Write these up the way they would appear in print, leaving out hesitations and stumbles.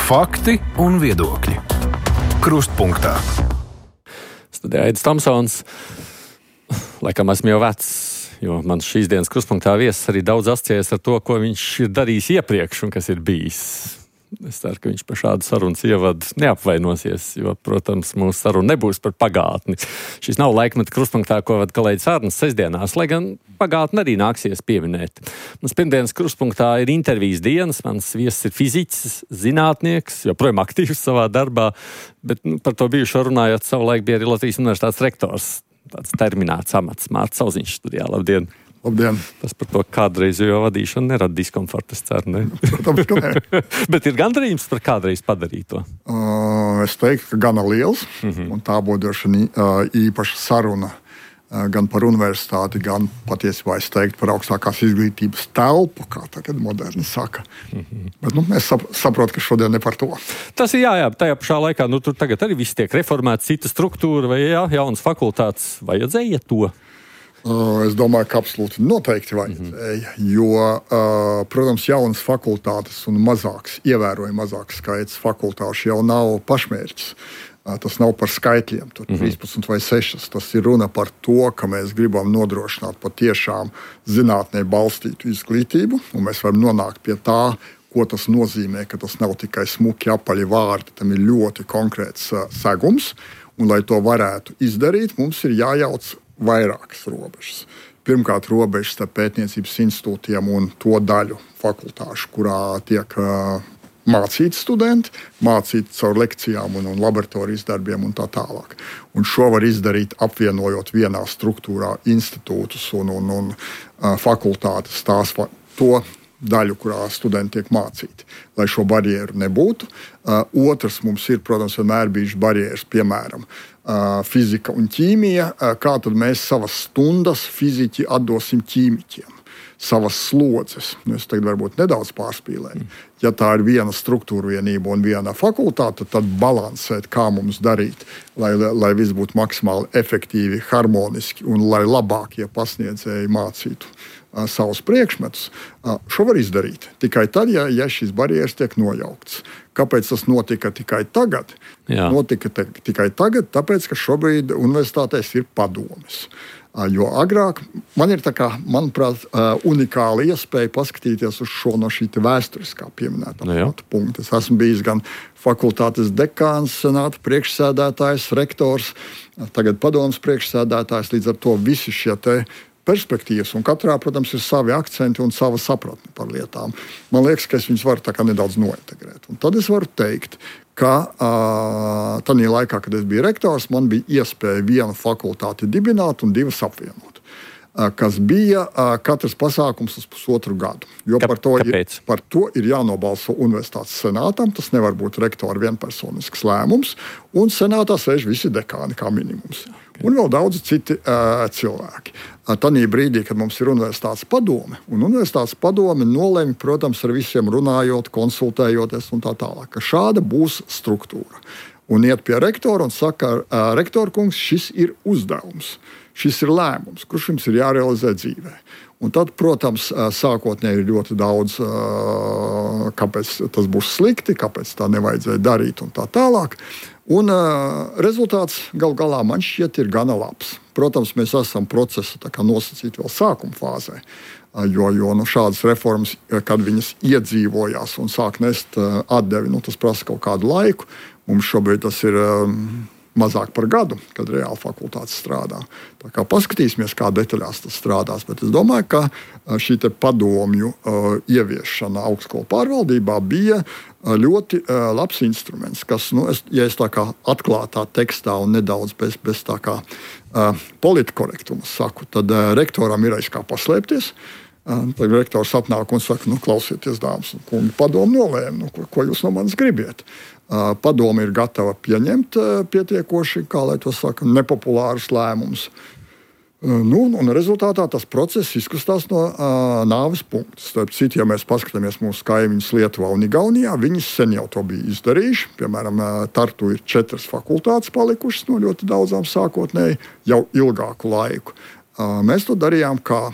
Fakti un viedokļi. Krustpunktā. Studijā Aidis Tomsons. Laikam esmu jau vecs, jo mans šīs dienas krustpunktā viesis arī daudz asociējas ar to, ko viņš ir darījis iepriekš un kas ir bijis. Es ceru, ka viņš par šādu sarunas ievadu neapvainosies, jo, protams, mūsu saruna nebūs par pagātni. Šis nav laikmeta krustpunktā, ko vada kolēģis Arnis sestdienās, lai gan pagātni arī nāksies pieminēt. Mums pirmdienas krustpunktā ir intervijas dienas, mans viesis ir fiziķis, zinātnieks, joprojām aktīvs savā darbā, bet par to bijušo runājot, savulaik bija arī Latvijas Universitātes rektors, tāds terminēts amats, Mārts Sauziņš studijā. Labdien! Labdien! Tas par to kādreizējo vadīšanu nerada diskomfortu, es ceru, ne? Protams, ka nē. Bet ir gandarījums par kādreiz padarīto? Es teiktu, ka gana liels, un tā būtu īpaša saruna gan par universitāti, gan patiesībā es teiktu par augstākās izglītības telpu, kā tagad moderni saka. Bet mēs saprotam, ka šodien ne par to. Tas ir jā, tajā pašā laikā, tur tagad arī viss tiek reformēts, cita struktūra vai jaunas fakultātes. Vajadzēja to? Es domāju, ka absolūti noteikti vajadzēja, jo, protams, jaunas fakultātes un ievērojami mazāks skaits fakultāšu jau nav pašmērķis. Tas nav par skaitļiem, tur 13 vai 6. Tas ir runa par to, ka mēs gribam nodrošināt patiešām zinātnē balstītu izglītību, un mēs varam nonākt pie tā, ko tas nozīmē, ka tas nav tikai smuki apaļi vārdi, tam ir ļoti konkrēts segums, un lai to varētu izdarīt, mums ir jājauc vairākas robežas. Pirmkārt, robežas starp pētniecības institūtiem un to daļu fakultāšu, kurā tiek mācīti studenti, mācīti caur lekcijām un laboratorijas darbiem un tā tālāk. Un šo var izdarīt apvienojot vienā struktūrā institūtus un fakultātes to daļu, kurā studenti tiek mācīti, lai šo barjeru nebūtu. Otrs mums ir, protams, vienmēr bijušas barjeras, piemēram, fizika un ķīmija. Kā tad mēs savas stundas fiziķi atdosim ķīmiķiem? Savas slodzes. Es tagad varbūt nedaudz pārspīlēju. Ja tā ir viena struktūra vienība un viena fakultāte, tad balansēt, kā mums darīt, lai viss būtu maksimāli efektīvi, harmoniski un lai labākie pasniedzēji mācītu savus priekšmetus. Šo var izdarīt tikai tad, ja šis barjeras tiek nojaukts. Kāpēc tas notika tikai tagad? Notika tikai tagad, tāpēc, ka šobrīd universitātēs ir padomes. Jo agrāk man ir, manuprāt, unikāla iespēja paskatīties uz šo no šī vēsturiskā pieminētā punkta. Es esmu bijis gan fakultātes dekāns, senāta priekšsēdētājs, rektors, tagad padomes priekšsēdētājs, līdz ar to visi šie perspektīvas, un katrā, protams, ir savi akcenti un sava sapratne par lietām. Man liekas, ka es viņus varu nedaudz nointegrēt. Un tad es varu teikt, ka tajā laikā, kad es biju rektors, man bija iespēja vienu fakultāti dibināt un divas apvienot, kas bija katrs pasākums uz pusotru gadu. Jo par to ir jānobalso universitātes senātam, tas nevar būt rektora vienpersonisks lēmums, un senātā sēž visi dekāni kā minimums. Un vēl daudzi citi cilvēki. Tanī brīdī, kad mums ir universitātes padome, un universitātes padome nolemj, protams, ar visiem runājot, konsultējoties un tā tālāk, ka šāda būs struktūra. Un iet pie rektora un saka, rektor kungs, šis ir uzdevums, šis ir lēmums, kurš jums ir jārealizē dzīvē. Un tad, protams, sākotnēji ir ļoti daudz, kāpēc tas būs slikti, kāpēc tā nevajadzēja darīt un tā tālāk. Un rezultāts gal galā man šķiet ir gana labs. Protams, mēs esam procesa nosacīti vēl sākuma fāzē, jo šādas reformas, kad viņas iedzīvojās un sāk nest atdevi, tas prasa kaut kādu laiku. Mums šobrīd tas ir mazāk par gadu, kad reāli fakultātes strādā. Tā kā paskatīsimies, kā detaļās tas strādās. Bet es domāju, ka šī padomju ieviešana augstskolu pārvaldībā bija ļoti labs instruments, kas, ja es tā kā atklātā tekstā un nedaudz bez tā kā politkorektuma saku, tad rektoram ir aiz kā paslēpties. Tad rektors atnāk un saka, klausieties, dāmas un kungi, padomu nolēma, ko jūs no manis gribiet. Padome ir gatava pieņemt pietiekoši, kā lai to saka, nepopulārus lēmumus. Un rezultātā tas process izkustās no nāves punkta. Starp citu, ja mēs paskatāmies mūsu kaimiņus Lietuvā un Igaunijā, viņi sen jau to bija izdarījuši. Piemēram, Tartu ir 4 fakultātes palikušas no ļoti daudzām sākotnēji jau ilgāku laiku. Mēs to darījām kā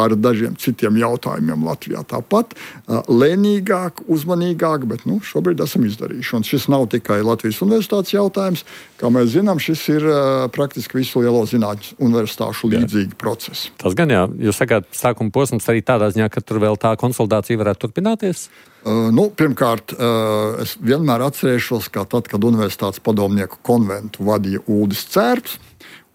ar dažiem citiem jautājumiem Latvijā. Tāpat lēnīgāk, uzmanīgāk, bet šobrīd esam izdarījuši. Un šis nav tikai Latvijas universitātes jautājums. Kā mēs zinām, šis ir praktiski visu lielo zinātņu universitāšu līdzīgi procesi. Tas gan jā. Jūs sakāt, sākuma posms arī tādā ziņā, ka tur vēl tā konsolidācija varētu turpināties? Pirmkārt, es vienmēr atcerēšos, ka tad, kad Universitātes padomnieku konventu vadīja Uldis Cērps,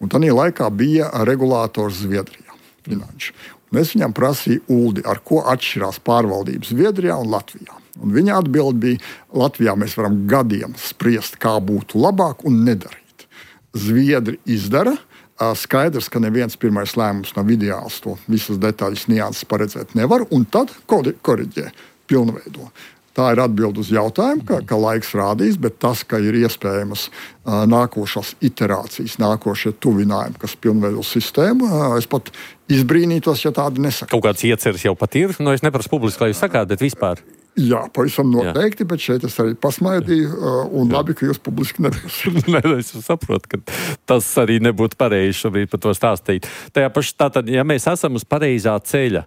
un tādā laikā bija regulators Zviedrijā, finanšu. Un es viņam prasīju, Uldi, ar ko atšķirās pārvaldības Zviedrijā un Latvijā. Un viņa atbild bija, Latvijā mēs varam gadiem spriest, kā būtu labāk un nedarīt. Zviedri izdara. Skaidrs, ka neviens pirmais lēmums nav ideāls, to visas detaļas nianses paredzēt nevar, un tad koriģē, pilnveido. Tā ir atbilde uz jautājumu, ka laiks rādīs, bet tas, ka ir iespējamas nākošās iterācijas, nākošie tuvinājumi, kas pilnveido sistēmu, es pat izbrīnītos, ja tādi nesaka. Kaut kāds ieceres jau pat ir, es neprasu publiski, lai jūs sakāt, bet vispār. Jā, pavisam noteikti, bet šeit es arī pasmaidīju, un labi, ka jūs publiski neprasāt. Es saprotu, ka tas arī nebūtu pareizi šobrīd par to stāstīt. Tātad, ja mēs esam uz pareizā ceļa,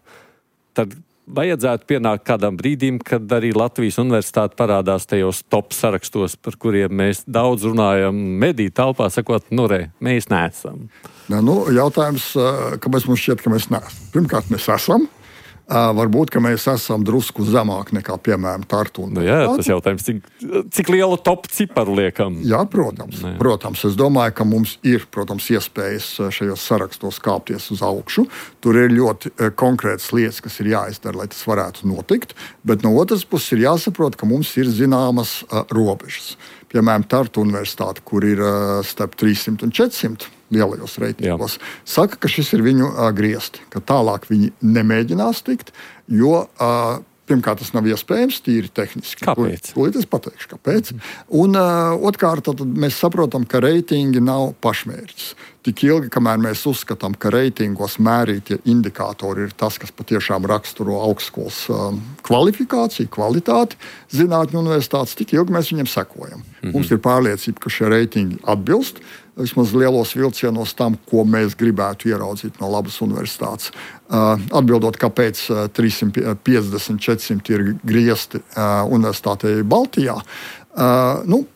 tad vajadzētu pienākt kādam brīdim, kad arī Latvijas universitāte parādās tajos top sarakstos, par kuriem mēs daudz runājam mediju telpā, sakot, mēs neesam. Jautājums, kāpēc mums šķiet, ka mēs neesam? Pirmkārt, mēs esam. Varbūt, ka mēs esam drusku zemāk nekā, piemēram, Tartu. Tas jautājums, cik lielu top ciparu liekam? Jā, protams. Es domāju, ka mums ir, iespējas šajos sarakstos kāpties uz augšu. Tur ir ļoti konkrētas lietas, kas ir jāizdara, lai tas varētu notikt. Bet no otras puses ir jāsaprot, ka mums ir zināmas robežas. Piemēram, Tartu universitāte, kur ir starp 300 un 400 lielajos reitingos, saka, ka šis ir viņu griezti, ka tālāk viņi nemēģinās tikt, jo pirmkārt tas nav iespējams, tīri tehniski. Kāpēc? Tūlīt es pateikšu, kāpēc. Un otrkārt, tad mēs saprotam, ka reitingi nav pašmērķis. Tik ilgi, kamēr mēs uzskatām, ka reitingos mērītie indikātori ir tas, kas patiešām raksturo augstskolas kvalifikāciju, kvalitāti zinātņu universitātes, tik ilgi mēs viņiem sekojam. Mums ir pārliecība, ka šie reitingi atbilst vismaz lielos vilcienos tam, ko mēs gribētu ieraudzīt no labas universitātes. Atbildot, kāpēc 350, 400 ir griezti universitātei Baltijā.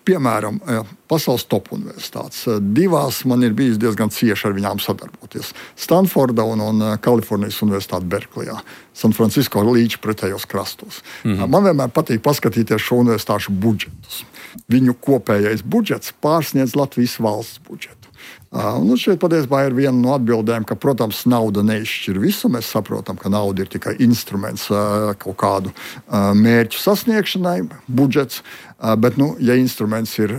Piemēram, pasaules top universitātes. Divās man ir bijis diezgan cieši ar viņām sadarboties. Stanforda un Kalifornijas universitāte Berklejā. San Francisco līdz pretējos krastos. Man vienmēr patīk paskatīties šo universitāšu budžetus. Viņu kopējais budžets pārsniedz Latvijas valsts budžetu. Šeit patiesībā ir viena no atbildēm, ka, protams, nauda neizšķir visu. Mēs saprotam, ka nauda ir tikai instruments kaut kādu mērķu sasniegšanai, budžets. Bet, ja instruments ir,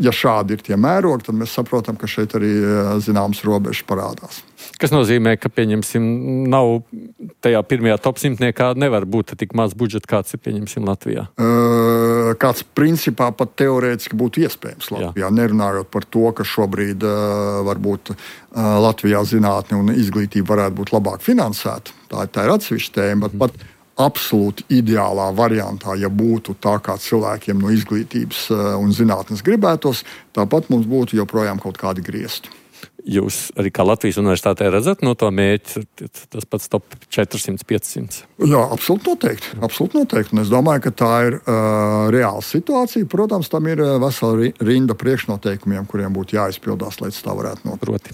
ja šādi ir tie mērogi, tad mēs saprotam, ka šeit arī zināmas robežas parādās. Kas nozīmē, ka, pieņemsim, nav tajā pirmajā top simtniekā nevar būt tik maz budžeta, kāds ir, pieņemsim, Latvijā? Kāds principā pat teorētiski būtu iespējams Latvijā. Nerunājot par to, ka šobrīd varbūt Latvijā zinātne un izglītība varētu būt labāk finansēta. Tā ir atsevišķa tēma, bet pat absolūti ideālā variantā, ja būtu tā, kā cilvēkiem no izglītības un zinātnes gribētos, tāpat mums būtu joprojām kaut kādi griezti. Jūs arī kā Latvijas universitātē redzat no to mērķi, tas pats top 400-500? Jā, absolūti noteikti. Un es domāju, ka tā ir reāla situācija. Protams, tam ir vesela rinda priekšnoteikumiem, kuriem būtu jāizpildās, lai tā varētu notikt.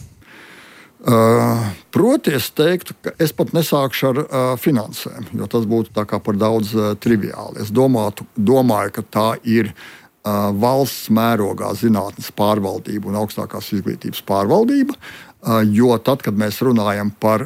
Proti, es teiktu, ka es pat nesākšu ar finansēm, jo tas būtu tā kā par daudz triviāli. Es domāju, ka tā ir valsts mērogā zinātnes pārvaldība un augstākās izglītības pārvaldība, jo tad, kad mēs runājam par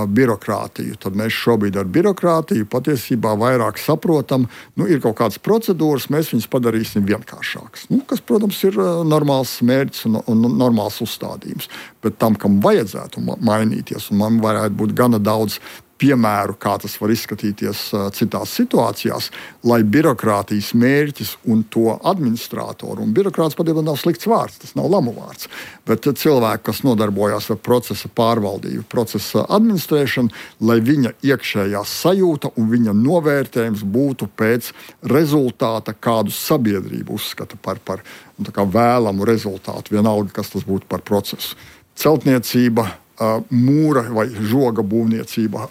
birokrātiju, tad mēs šobrīd ar birokrātiju patiesībā vairāk saprotam, ir kaut kādas procedūras, mēs viņas padarīsim vienkāršākas. Kas, protams, ir normāls mērķis un normāls uzstādījums, bet tam, kam vajadzētu mainīties, un man varētu būt gana daudz piemēru, kā tas var izskatīties citās situācijās, lai birokrātijas mērķis un to administrātoru, un birokrāts patiesībā nav slikts vārds, tas nav lamu vārds, bet cilvēki, kas nodarbojās ar procesa pārvaldību, procesa administrēšanu, lai viņa iekšējā sajūta un viņa novērtējums būtu pēc rezultāta, kādu sabiedrību uzskata par vēlamu rezultātu, vienalga, kas tas būtu par procesu. Celtniecība, mūra vai žoga būvniecība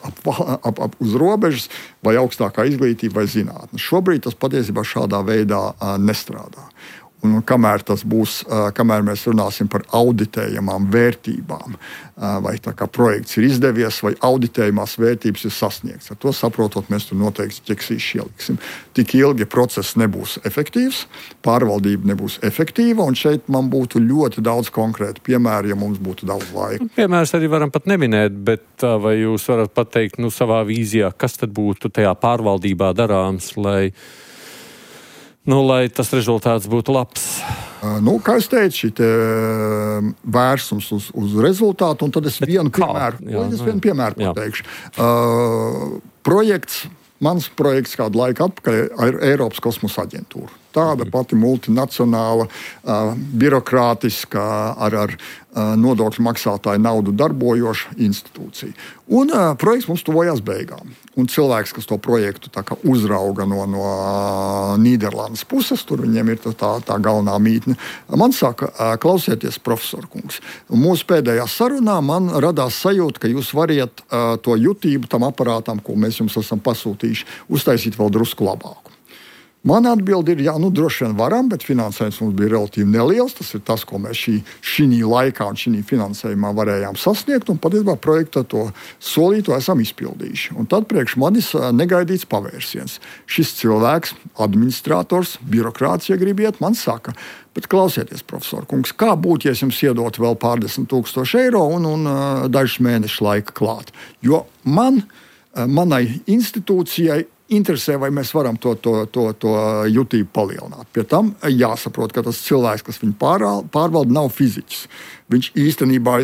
uz robežas, vai augstākā izglītība vai zinātne. Šobrīd tas patiesībā šādā veidā nestrādā. Un kamēr mēs runāsim par auditējamām vērtībām, vai tā kā projekts ir izdevies, vai auditējamās vērtības ir sasniegts, ar to saprotot, mēs tur noteikti ķeksīši ieliksim. Tik ilgi process nebūs efektīvs, pārvaldība nebūs efektīva, un šeit man būtu ļoti daudz konkrētu piemēru, ja mums būtu daudz laika. Piemērs arī varam pat neminēt, bet vai jūs varat pateikt savā vīzijā, kas tad būtu tajā pārvaldībā darāms, lai tas rezultāts būtu labs? Kā es teicu, šī vērsums uz rezultātu, un tad es vienu piemēru pateikšu. Mans projekts kādu laiku atpakaļ ir Eiropas kosmosa aģentūra. Tāda pati multinacionāla, birokrātiska, ar nodokļu maksātāju naudu darbojoša institūcija. Un projekts mums tuvojās beigām. Un cilvēks, kas to projektu uzrauga no Nīderlandes puses, tur viņiem ir tā galvenā mītne, man saka, klausieties, profesor kungs. Mūsu pēdējā sarunā man radās sajūta, ka jūs variet to jutību tam aparātam, ko mēs jums esam pasūtījuši, uztaisīt vēl drusku labāku. Mana atbilde ir, droši vien varam, bet finansējums mums bija relatīvi neliels. Tas ir tas, ko mēs šī laikā un šī finansējumā varējām sasniegt, un patiesībā projekta to solīto esam izpildījuši. Un tad priekš manis negaidīts pavērsiens. Šis cilvēks, administrators, birokrāts, ja gribiet, man saka, bet klausieties, profesor kungs, kā būtu, ja es jums iedotu vēl pārdesmit tūkstoši eiro un dažus mēnešu laika klāt? Jo manai institūcijai interesē, vai mēs varam to jutību palielināt. Pie tam jāsaprot, ka tas cilvēks, kas viņu pārvalda, nav fiziķis. Viņš īstenībā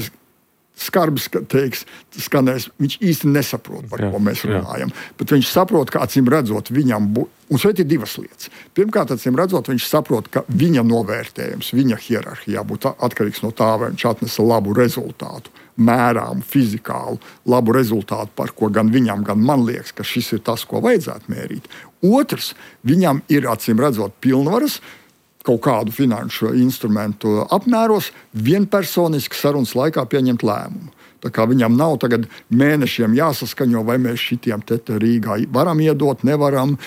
skarbi skanēs, viņš īsti nesaprot, par ko mēs runājam. Bet viņš saprot, ka acīm redzot viņam un šeit ir divas lietas. Pirmkārt, acīm redzot, viņš saprot, ka viņa novērtējums, viņa hierarhijā būtu atkarīgs no tā, vai viņš atnesa labu rezultātu, mērām, fizikālu, labu rezultātu, par ko gan viņam, gan man liekas, ka šis ir tas, ko vajadzētu mērīt. Otrs, viņam ir, acīm redzot, pilnvaras kaut kādu finanšu instrumentu apmēros vienpersoniski sarunas laikā pieņemt lēmumu. Tā kā viņam nav tagad mēnešiem jāsaskaņo, vai mēs šitiem te Rīgā varam iedot, nevaram,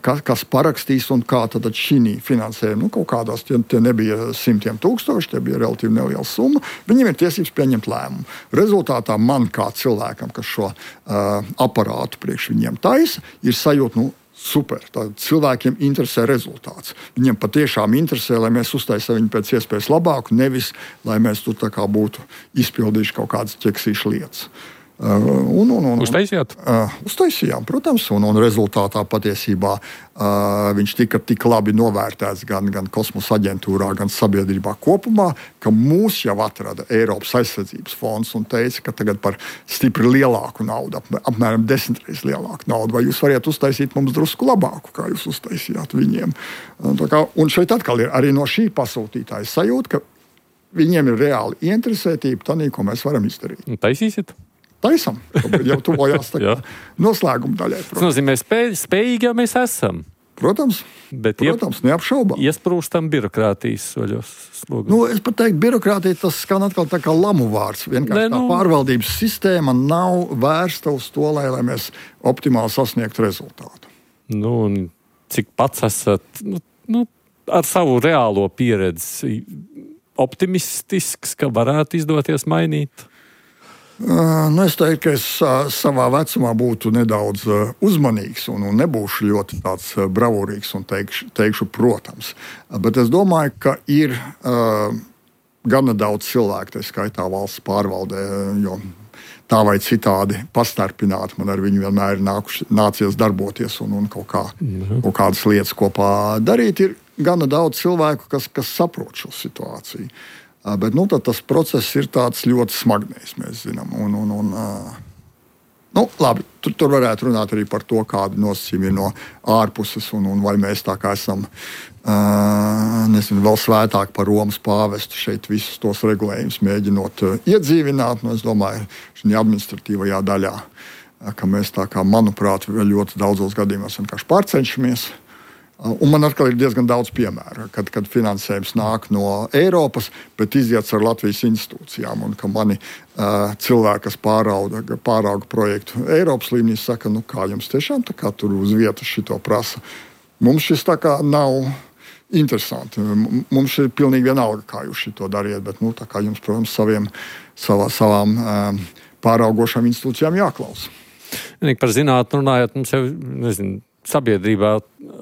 kas parakstīs un kā tad šī finansējuma. Kaut kādās tie nebija simtiem tūkstoši, tie bija relatīvi neliela summa. Viņiem ir tiesības pieņemt lēmumu. Rezultātā man kā cilvēkam, kas šo aparātu priekš viņiem taisa, ir sajūta, super. Tad cilvēkiem interesē rezultāts. Viņiem patiešām interesē, lai mēs uztaisām viņu pēc iespējas labāku, nevis, lai mēs tur tā kā būtu izpildījuši kaut kādas ķeksīšu lietas. Uztaisījāt? Uztaisījām, protams, un rezultātā patiesībā viņš tika tik labi novērtēts gan kosmosa aģentūrā, gan sabiedrībā kopumā, ka mūs jau atrada Eiropas aizsardzības fonds un teica, ka tagad par stipri lielāku naudu, apmēram 10 reizes lielāku naudu, vai jūs variet uztaisīt mums drusku labāku, kā jūs uztaisījāt viņiem. Un šeit atkal ir arī no šī pasūtītāja sajūta, ka viņiem ir reāli interesētība tanī, ko mēs varam izdarīt. Taisīsiet? Taisam, jau tuvojās noslēguma daļai. Tas nozīmē, spējīgi jau mēs esam. Protams, neapšaubām. Iesprūstam birokrātijas soļos. Es pat teiktu, birokrātija tas skan atkal tā kā lamu vārds. Vienkārši tā pārvaldības sistēma nav vērsta uz to, lai mēs optimāli sasniegtu rezultātu. Un cik pats esat ar savu reālo pieredzi optimistisks, ka varētu izdoties mainīt? Es teiktu, ka es savā vecumā būtu nedaudz uzmanīgs un nebūšu ļoti tāds bravūrīgs un teikšu, protams. Bet es domāju, ka ir gana daudz cilvēku, tā skaitā valsts pārvaldē, jo tā vai citādi pastarpināti man ar viņu vienmēr ir nācies darboties un kaut kādas lietas kopā darīt. Ir gana daudz cilvēku, kas saprot šo situāciju. Bet tas process ir tāds ļoti smagnējs, mēs zinām. Labi, tur varētu runāt arī par to, kādi nosacījumi ir no ārpuses un vai mēs tā kā esam vēl svētāk par Romas pāvestu šeit visus tos regulējumus mēģinot iedzīvināt. Es domāju, šī administratīvajā daļā, ka mēs tā kā, manuprāt, ļoti daudzos gadījumos vienkārši pārcenšamies. Un man atkal ir diezgan daudz piemēru, kad finansējums nāk no Eiropas, bet iziets ar Latvijas institūcijām. Un ka mani cilvēki, kas pārauga projektu Eiropas līmenī, saka, kā jums tiešām tā kā tur uz vietas šito prasa. Mums šis tā kā nav interesanti. Mums ir pilnīgi vienalga, kā jūs šito dariet, bet tā kā jums, protams, savām pāraugošām institūcijām jāklausa. Par zinātni runājot, mums jau, sabiedrībā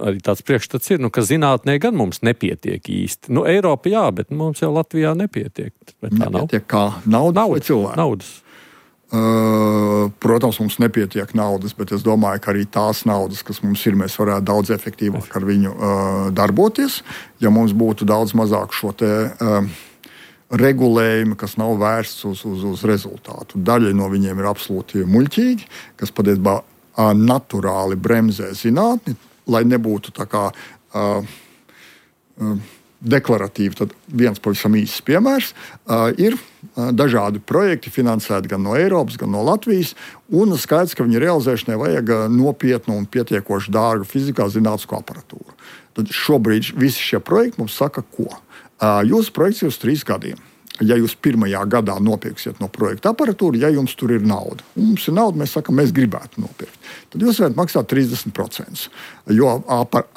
arī tāds priekšstats ir, ka zinātnē gan mums nepietiek īsti. Eiropa jā, bet mums jau Latvijā nepietiek. Vai tā nav? Nepietiek kā naudas vai cilvēki? Naudas. Protams, mums nepietiek naudas, bet es domāju, ka arī tās naudas, kas mums ir, mēs varētu daudz efektīvāk ar viņu darboties, ja mums būtu daudz mazāk šo te regulējumi, kas nav vērsts uz rezultātu. Daļa no viņiem ir absolūti muļķīgi, kas patiesībā naturāli bremzē zinātni, lai nebūtu tā kā deklaratīvi. Tad viens pavisam īsts piemērs ir dažādi projekti finansēti gan no Eiropas, gan no Latvijas, un skaidrs, ka viņu realizēšanai vajag nopietnu un pietiekoši dārgu fizikā zinātnisko aparatūru. Tad šobrīd visi šie projekti mums saka, ko? Jūsu projekts ir uz 3 gadiem. Ja jūs pirmajā gadā nopirksiet no projekta aparatūru, ja jums tur ir nauda. Mums ir nauda, mēs sakām, mēs gribētu nopirkt. Tad jūs varat maksāt 30%, jo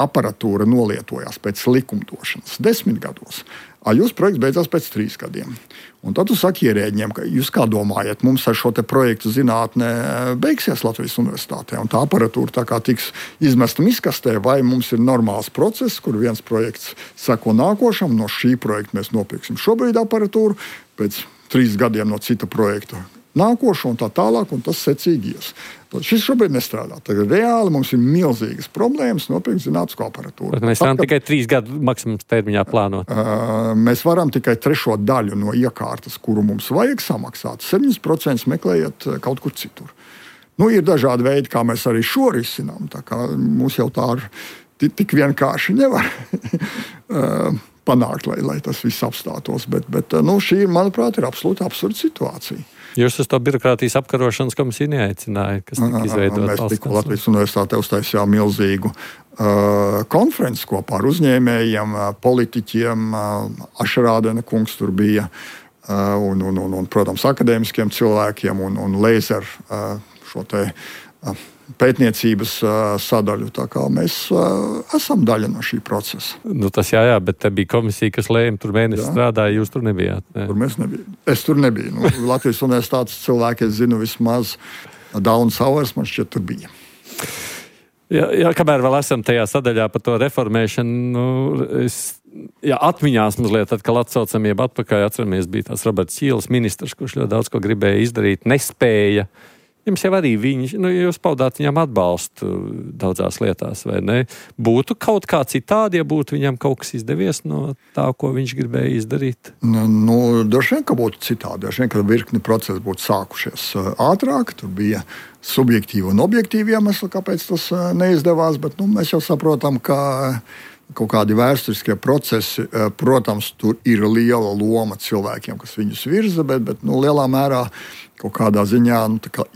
aparatūra nolietojās pēc likumdošanas 10 gados. Jūsu projekts beidzās pēc 3 gadiem. Un tad tu saki ierēģiem, ka jūs kā domājat, mums ar šo te projektu zinātnē beigsies Latvijas universitātē, un tā aparatūra tā kā tiks izmesta miskastē, vai mums ir normāls process, kur viens projekts seko nākošam, no šī projekta mēs nopirksim šobrīd aparatūru, pēc 3 gadiem no cita projekta nākošo un tā tālāk, un tas secīgi ies. Tad šis šobrīd nestrādā. Tagad reāli mums ir milzīgas problēmas nopirkt zinātnisko aparatūru. Bet mēs varam tikai 3 gadu maksimums termiņā plānot. Mēs varam tikai 3. daļu no iekārtas, kuru mums vajag samaksāt. 7% meklējiet kaut kur citur. Ir dažādi veidi, kā mēs arī šo risinām. Tā kā mums jau tā tik vienkārši nevar panākt, lai tas viss apstātos. Bet šī, manuprāt, ir absolūti absurda situācija. Jūs uz to birokrātijas apkarošanas komisiju neaicināja, kas tika izveidota. Mēs tikko Latvijas universitātē uztaisījām milzīgu konferenci kopā ar uzņēmējiem, politiķiem. Ašarādena kungs tur bija, un protams, akadēmiskiem cilvēkiem un Laser šo te pētniecības sadaļu. Tā kā mēs esam daļa no šī procesa. Tas jā, bet te bija komisija, kas lēma, tur mēnesi strādāja, jūs tur nebijāt. Ne? Tur mēs nebijām. Es tur nebiju. Latvijas universitātes cilvēki, es zinu, vismaz Daunas Auers man šķiet tur bija. Jā, kamēr vēl esam tajā sadaļā par to reformēšanu, atmiņās mazliet atkal atsaucam, jeb atpakaļ atceramies, bija tās Roberts Ķīles ministrs, kurš ļoti daudz ko gribēja izdarīt, nespēja. Jums jau arī jūs paudāt viņam atbalstu daudzās lietās, vai ne? Būtu kaut kā citādi, ja būtu viņam kaut kas izdevies no tā, ko viņš gribēja izdarīt? Droši vien, ka būtu citādi. Droši vien, ka virkni procesi būtu sākušies ātrāk. Tur bija subjektīvi un objektīvi iemesli, kāpēc tas neizdevās, bet mēs jau saprotam, ka kaut kādi vēsturiskie procesi, protams, tur ir liela loma cilvēkiem, kas viņus virza, bet lielā mērā kaut kādā ziņā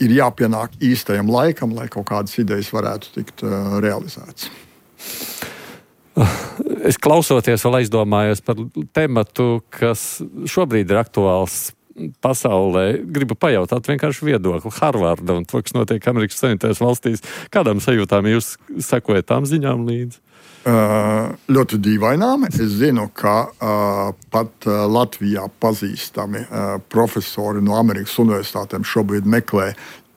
ir jāpienāk īstajam laikam, lai kaut kādas idejas varētu tikt realizētas. Es klausoties vēl aizdomājos par tematu, kas šobrīd ir aktuāls pasaulē. Gribu pajautāt vienkārši viedokli Harvarda un to, kas notiek Amerikas Savienotajās valstīs. Kādām sajūtām jūs sekojat tām ziņām līdzi? Ļoti dīvainām. Es zinu, ka pat Latvijā pazīstami profesori no Amerikas universitātēm šobrīd meklē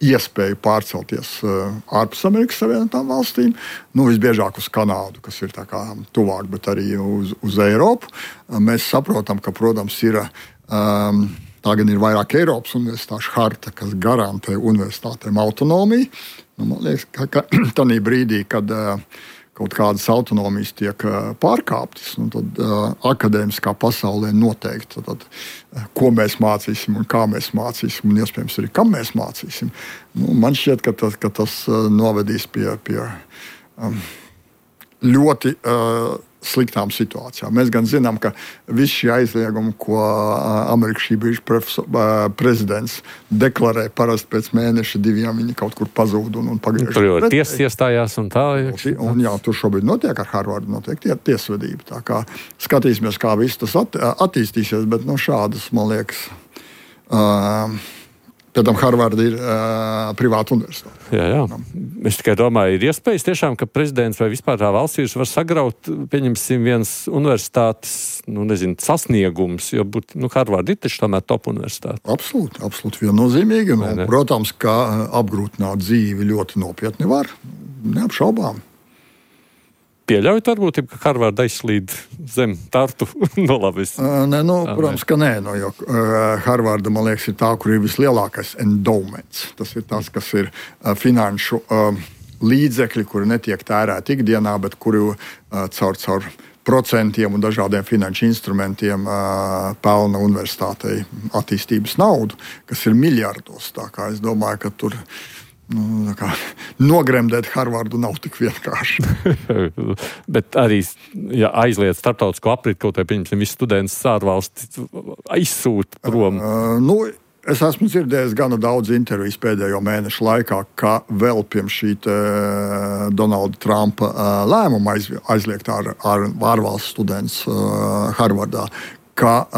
iespēju pārcelties ārpus Amerikas Savienotām valstīm. Visbiežāk uz Kanādu, kas ir tā kā tuvāk, bet arī uz Eiropu. Mēs saprotam, ka, protams, ir tā gan ir vairāk Eiropas universitāšu harta, kas garantē universitātēm autonomiju. Man liekas, ka tādā brīdī, kad kaut kādas autonomijas tiek pārkāptas, tad akadēmiskā pasaulē noteikti, ko mēs mācīsim un kā mēs mācīsim, un iespējams arī kam mēs mācīsim. Man šķiet, ka tas novedīs pie ļoti sliktām situācijām. Mēs gan zinām, ka visi šie aizliegumi, ko Amerikas šī brīža prezidents deklarē parasti pēc mēneša 2, viņi kaut kur pazūd un pagriež. Tur jau tiesas iestājās un tā. Un jā, tur šobrīd notiek ar Harvardu, notiek tiesvedība. Tā kā skatīsimies, kā viss tas attīstīsies, bet šādas, man liekas, pēc tam Harvarda ir privāta universitāte. Jā. Es tikai domāju, ir iespējas tiešām, ka prezidents vai vispār tā valsts vīrs var sagraut, pieņemsim, viens universitātes, sasniegums, jo Harvarda ir taču tomēr top universitāte. Absolūti viennozīmīgi. Protams, ka apgrūtināt dzīvi ļoti nopietni var, neapšaubām. Pieļaujat varbūt, ka Harvarda aizslīd zem Tartu nolavis? Protams, ka nē. Jo Harvarda, man liekas, ir tā, kur ir vislielākais endowments. Tas ir tas, kas ir finanšu līdzekļi, kuri netiek tērēti ikdienā, bet kuri caur procentiem un dažādiem finanšu instrumentiem pelna universitātei attīstības naudu, kas ir miljardos. Tā kā es domāju, ka tur nogremdēt Harvardu nav tik vienkārši. Bet arī, ja aizliedz starptautisko apriti, kaut vai pieņemsim visu studentus ārvalsti aizsūt prom. Es esmu dzirdējis gana daudz intervijas pēdējo mēnešu laikā, ka vēl pirms šī Donalda Trumpa lēmuma aizliegt ārvalstu studentus Harvardā, ka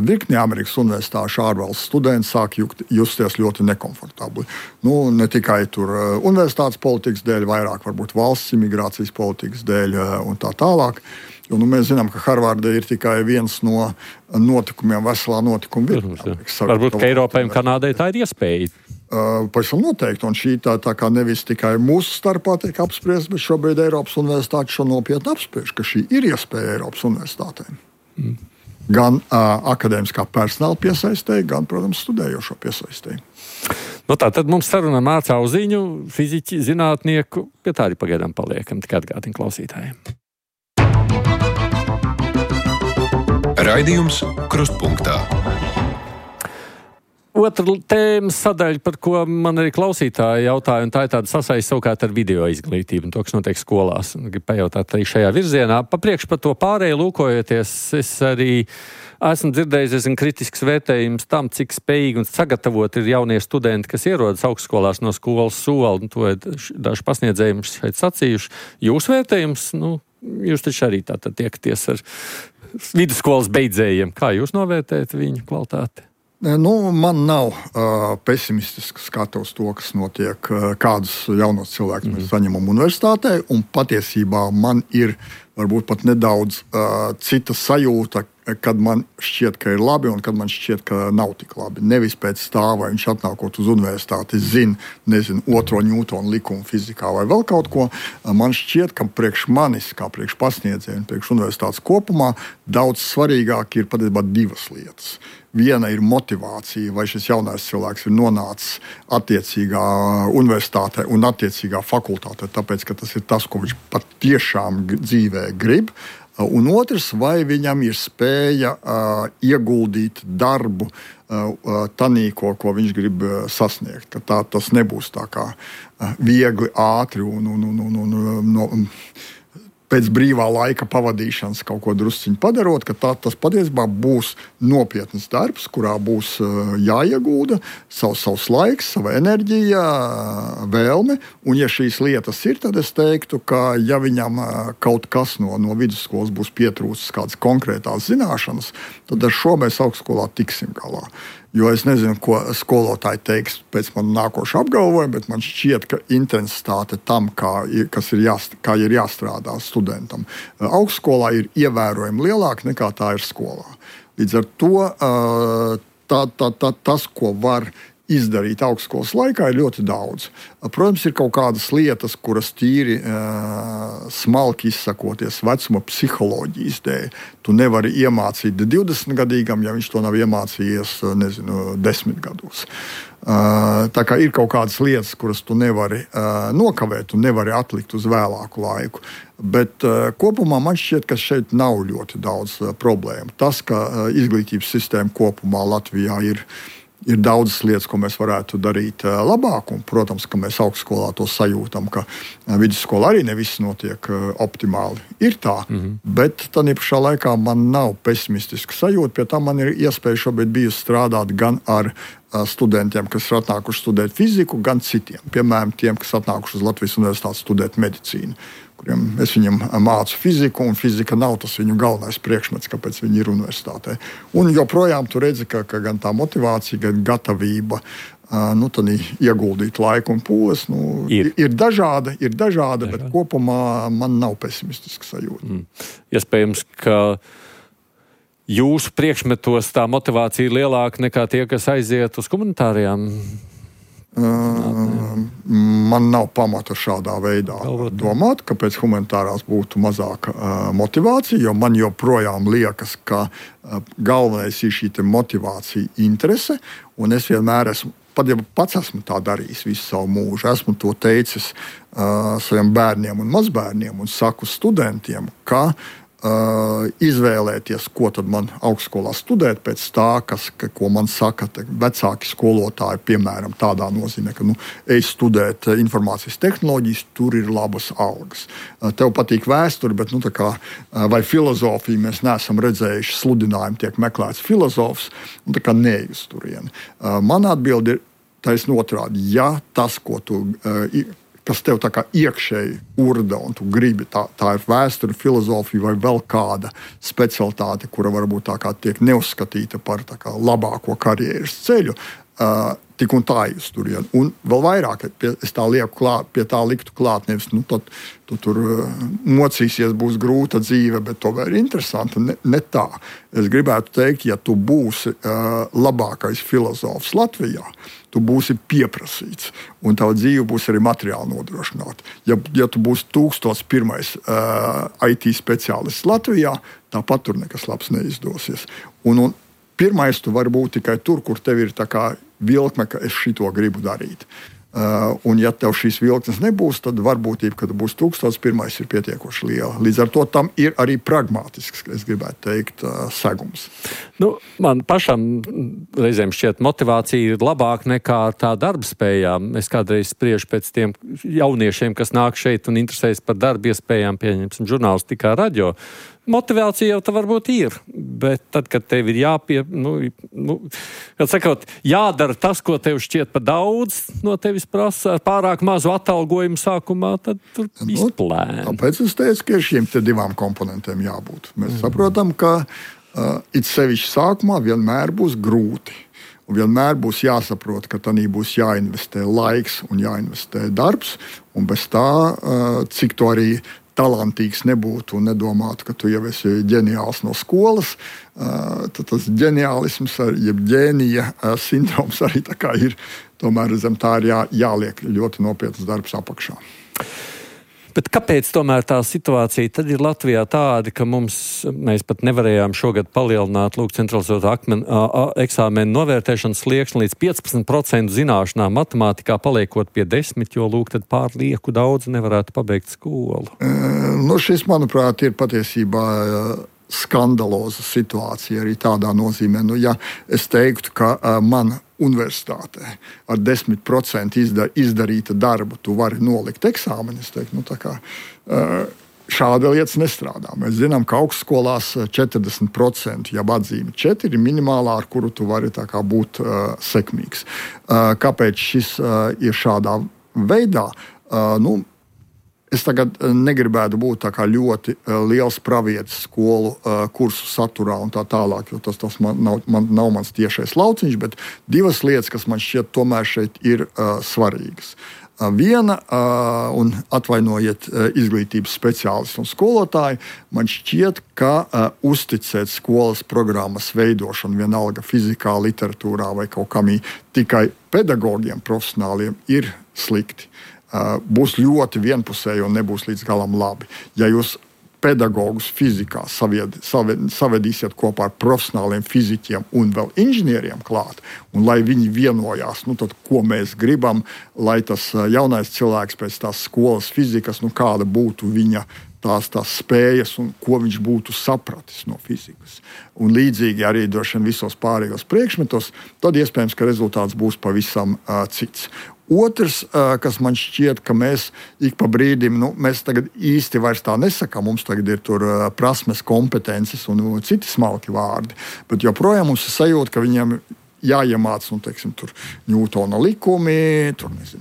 virkni Amerikas universitāšu ārvalstu studenti sāk justies ļoti nekomfortabli. Ne tikai tur universitātes politikas dēļ, vairāk varbūt valsts imigrācijas politikas dēļ un tā tālāk. Jo mēs zinām, ka Harvarda ir tikai viens no notikumiem, veselā notikuma virknē. Varbūt, ka Eiropai un Kanādai tā ir iespēja. Pavisam noteikti, un šī tā kā nevis tikai mūsu starpā tiek apspriest, bet šobrīd Eiropas universitāte šo nopietni apspriež, ka šī ir iespēja Eiropas universitātēm. Gan akadēmiskā personāla piesaistēji, gan, protams, studējošo piesaistēji. Tad mums saruna ar Mārcu Auziņu, fiziķi, zinātnieku, pie tā arī pagaidām paliekam, tikai atgādina klausītājiem. Raidījums Krustpunktā. Otra tēmas sadaļa, par ko man arī klausītāji jautāja, un tā ir tāda sasaiste savukārt ar video izglītību un to, kas notiek skolās. Gribu pajautāt arī šajā virzienā. Papriekš par to pārēju lūkojoties, es arī esmu dzirdējis kritisks vērtējums tam, cik spējīgi un sagatavot ir jaunie studenti, kas ierodas augstskolās no skolas soli, un to daži pasniedzēji mums šeit sacījuši. Jūs vērtējums, jūs taču arī tātad tiekaties ar vidusskolas beidzējiem. Kā jūs novērtējat viņu kvalitāti? Man nav pesimistisks skats to, kas notiek, kādus jaunos cilvēkus mēs saņemam universitātē, un patiesībā man ir varbūt pat nedaudz cita sajūta, kad man šķiet, ka ir labi, un kad man šķiet, ka nav tik labi. Nevis pēc tā, vai viņš atnākot uz universitāti zina, otro Ņūtona likumu fizikā vai vēl kaut ko. Man šķiet, ka priekš manis, kā priekš pasniedzēju, priekš universitātes kopumā, daudz svarīgāk ir patiesībā divas lietas. Viena ir motivācija, vai šis jaunais cilvēks ir nonācis attiecīgā universitātē un attiecīgā fakultātē, tāpēc, ka tas ir tas, ko viņš patiešām dzīvē grib. Un otrs, vai viņam ir spēja ieguldīt darbu tanī, ko viņš grib sasniegt. Ka tas nebūs tā kā viegli, ātri un pēc brīvā laika pavadīšanas kaut ko drusciņu padarot, ka tas patiesībā būs nopietns darbs, kurā būs jāiegulda savs laiks, sava enerģija, vēlme. Un ja šīs lietas ir, tad es teiktu, ka ja viņam kaut kas no vidusskolas būs pietrūcis kādas konkrētās zināšanas, tad ar šo mēs augstskolā tiksim galā. Jo es nezinu, ko skolotāji teiks pēc man nākoša apgalvojuma, bet man šķiet, ka intensitāte tam, kā ir jāstrādā studentam, augstskolā ir ievērojami lielāka nekā tā ir skolā. Līdz ar to tas, ko var izdarīt augstskolas laikā, ir ļoti daudz. Protams, ir kaut kādas lietas, kuras tīri smalki izsakoties vecuma psiholoģijas dēļ. Tu nevari iemācīt 20-gadīgam, ja viņš to nav iemācījies, 10 gados. Tā kā ir kaut kādas lietas, kuras tu nevari nokavēt, tu nevari atlikt uz vēlāku laiku. Bet kopumā man šķiet, ka šeit nav ļoti daudz problēmu. Tas, ka izglītības sistēma kopumā Latvijā ir Ir daudzas lietas, ko mēs varētu darīt labāk, un, protams, ka mēs augstskolā to sajūtam, ka vidusskolā arī ne viss notiek optimāli. Ir tā, bet tādā pašā laikā man nav pesimistiska sajūta, pie tā man ir iespēja šobrīd bijusi strādāt gan ar studentiem, kas ir atnākuši studēt fiziku, gan citiem. Piemēram, tiem, kas atnākuši uz Latvijas Universitāti studēt medicīnu, kuriem es viņam mācu fiziku, un fizika nav tas viņu galvenais priekšmets, kāpēc viņi ir universitātē. Un joprojām tu redzi, ka gan tā motivācija, gan gatavība tad ieguldīt laiku un pūles ir dažāda, bet kopumā man nav pesimistiska sajūta. Iespējams, ka jūsu priekšmetos tā motivācija ir lielāka nekā tie, kas aiziet uz komunitārajām? Man nav pamata šādā veidā domāt, ka pēc humanitārās būtu mazāka motivācija, jo man joprojām liekas, ka galvenais ir šī motivācija, interese, un es vienmēr esmu, pat ja pats esmu tā darījis visu savu mūžu, esmu to teicis saviem bērniem un mazbērniem un saku studentiem, ka izvēlēties, ko tad man augstskolā studēt pēc tā, ko man saka vecāki skolotāji, piemēram, tādā nozīmē, ka ej studēt informācijas tehnoloģijas, tur ir labas algas. Tev patīk vēsture, bet vai filozofija mēs neesam redzējuši, sludinājumi tiek meklēts filozofs, neej uz turieni. Man atbildi ir taisn otrādi. Ja tas, kas tev tā kā iekšēji urda un tu gribi, tā ir vēsture, filozofija vai vēl kāda specialitāte, kura varbūt tā kā tiek neuzskatīta par tā kā labāko karjeras ceļu, tik un tā uz turieni. Un vēl vairāk, es tā lieku klāt, pie tā liktu klāt, nevis, tad tu tur mocīsies, būs grūta dzīve, bet to vēl ir interesanti. Ne tā. Es gribētu teikt, ja tu būsi labākais filozofs Latvijā, tu būsi pieprasīts, un tava dzīve būs arī materiāli nodrošināta. Ja tu būsi 1001. IT speciālists Latvijā, tāpat tur nekas labs neizdosies. Un pirmais tu vari būt tikai tur, kur tev ir tā kā vilkme, ka es šito gribu darīt. Un ja tev šīs vilknes nebūs, tad varbūtība, ka tu būsi 1001. ir pietiekoši liela. Līdz ar to tam ir arī pragmatisks, es gribētu teikt, segums. Man pašam reizēm šķiet motivācija ir labāka nekā tā darba spējām. Es kādreiz spriežu pēc tiem jauniešiem, kas nāk šeit un interesējas par darba iespējām, pieņemsim žurnālistikā, radio. Motivācija jau tā varbūt ir, bet tad, kad tev ir jādara tas, ko tev šķiet par daudz, no tevis prasa pārāk mazu atalgojumu sākumā, tad tur izplēna. Tāpēc es teicu, ka ir šiem te divām komponentiem jābūt. Mēs saprotam, ka it sevišķi sākumā vienmēr būs grūti. Un vienmēr būs jāsaprot, ka tanī būs jāinvestē laiks un jāinvestē darbs, un bez tā, cik to arī talantīgs nebūtu un nedomātu, ka tu jau esi ģeniāls no skolas, tad tas ģeniālisms, jeb ģēnija sindroms arī tā kā ir. Tomēr zem tā ir jāliek ļoti nopietnas darbs apakšā. Bet kāpēc tomēr tā situācija tad ir Latvijā tāda, ka mēs pat nevarējām šogad palielināt centralizēto eksāmenu novērtēšanas slieksni līdz 15% zināšanām matemātikā, paliekot pie 10, jo tad pārlieku daudz nevarētu pabeigt skolu? Šis, manuprāt, ir patiesībā skandaloza situācija arī tādā nozīmē. Ja es teiktu, ka man universitātē ar 10% izdarīta darbu tu vari nolikt eksāmenu, es teiktu, šāda lietas nestrādā. Mēs zinām, ka augstskolās 40%, ja atzīme 4, ir minimālā, ar kuru tu vari tā kā būt sekmīgs. Kāpēc šis ir šādā veidā? Es tagad negribētu būt tā kā ļoti liels pravietis skolu kursu saturā un tā tālāk, jo tas nav mans tiešais lauciņš, bet divas lietas, kas man šķiet tomēr šeit ir svarīgas. Viena, un atvainojiet izglītības speciālisti un skolotāji, man šķiet, ka uzticēt skolas programmas veidošanu vienalga fizikā, literatūrā vai kaut kam tikai pedagogiem, profesionāliem ir slikti. Būs ļoti vienpusēji un nebūs līdz galam labi. Ja jūs pedagogus fizikā savedīsiet kopā ar profesionāliem fiziķiem un vēl inženieriem klāt, un lai viņi vienojās, tad ko mēs gribam, lai tas jaunais cilvēks pēc tās skolas fizikas, kāda būtu viņa tās spējas un ko viņš būtu sapratis no fizikas. Un līdzīgi arī droši vien visos pārējos priekšmetos, tad iespējams, ka rezultāts būs pavisam cits. Otrs, kas man šķiet, ka mēs ik pa brīdim, mēs tagad īsti vairs tā nesakām, mums tagad ir tur prasmes, kompetences un citi smalki vārdi, bet joprojām mums ir sajūta, ka viņiem jāiemāc, tur Ņūtona likumi,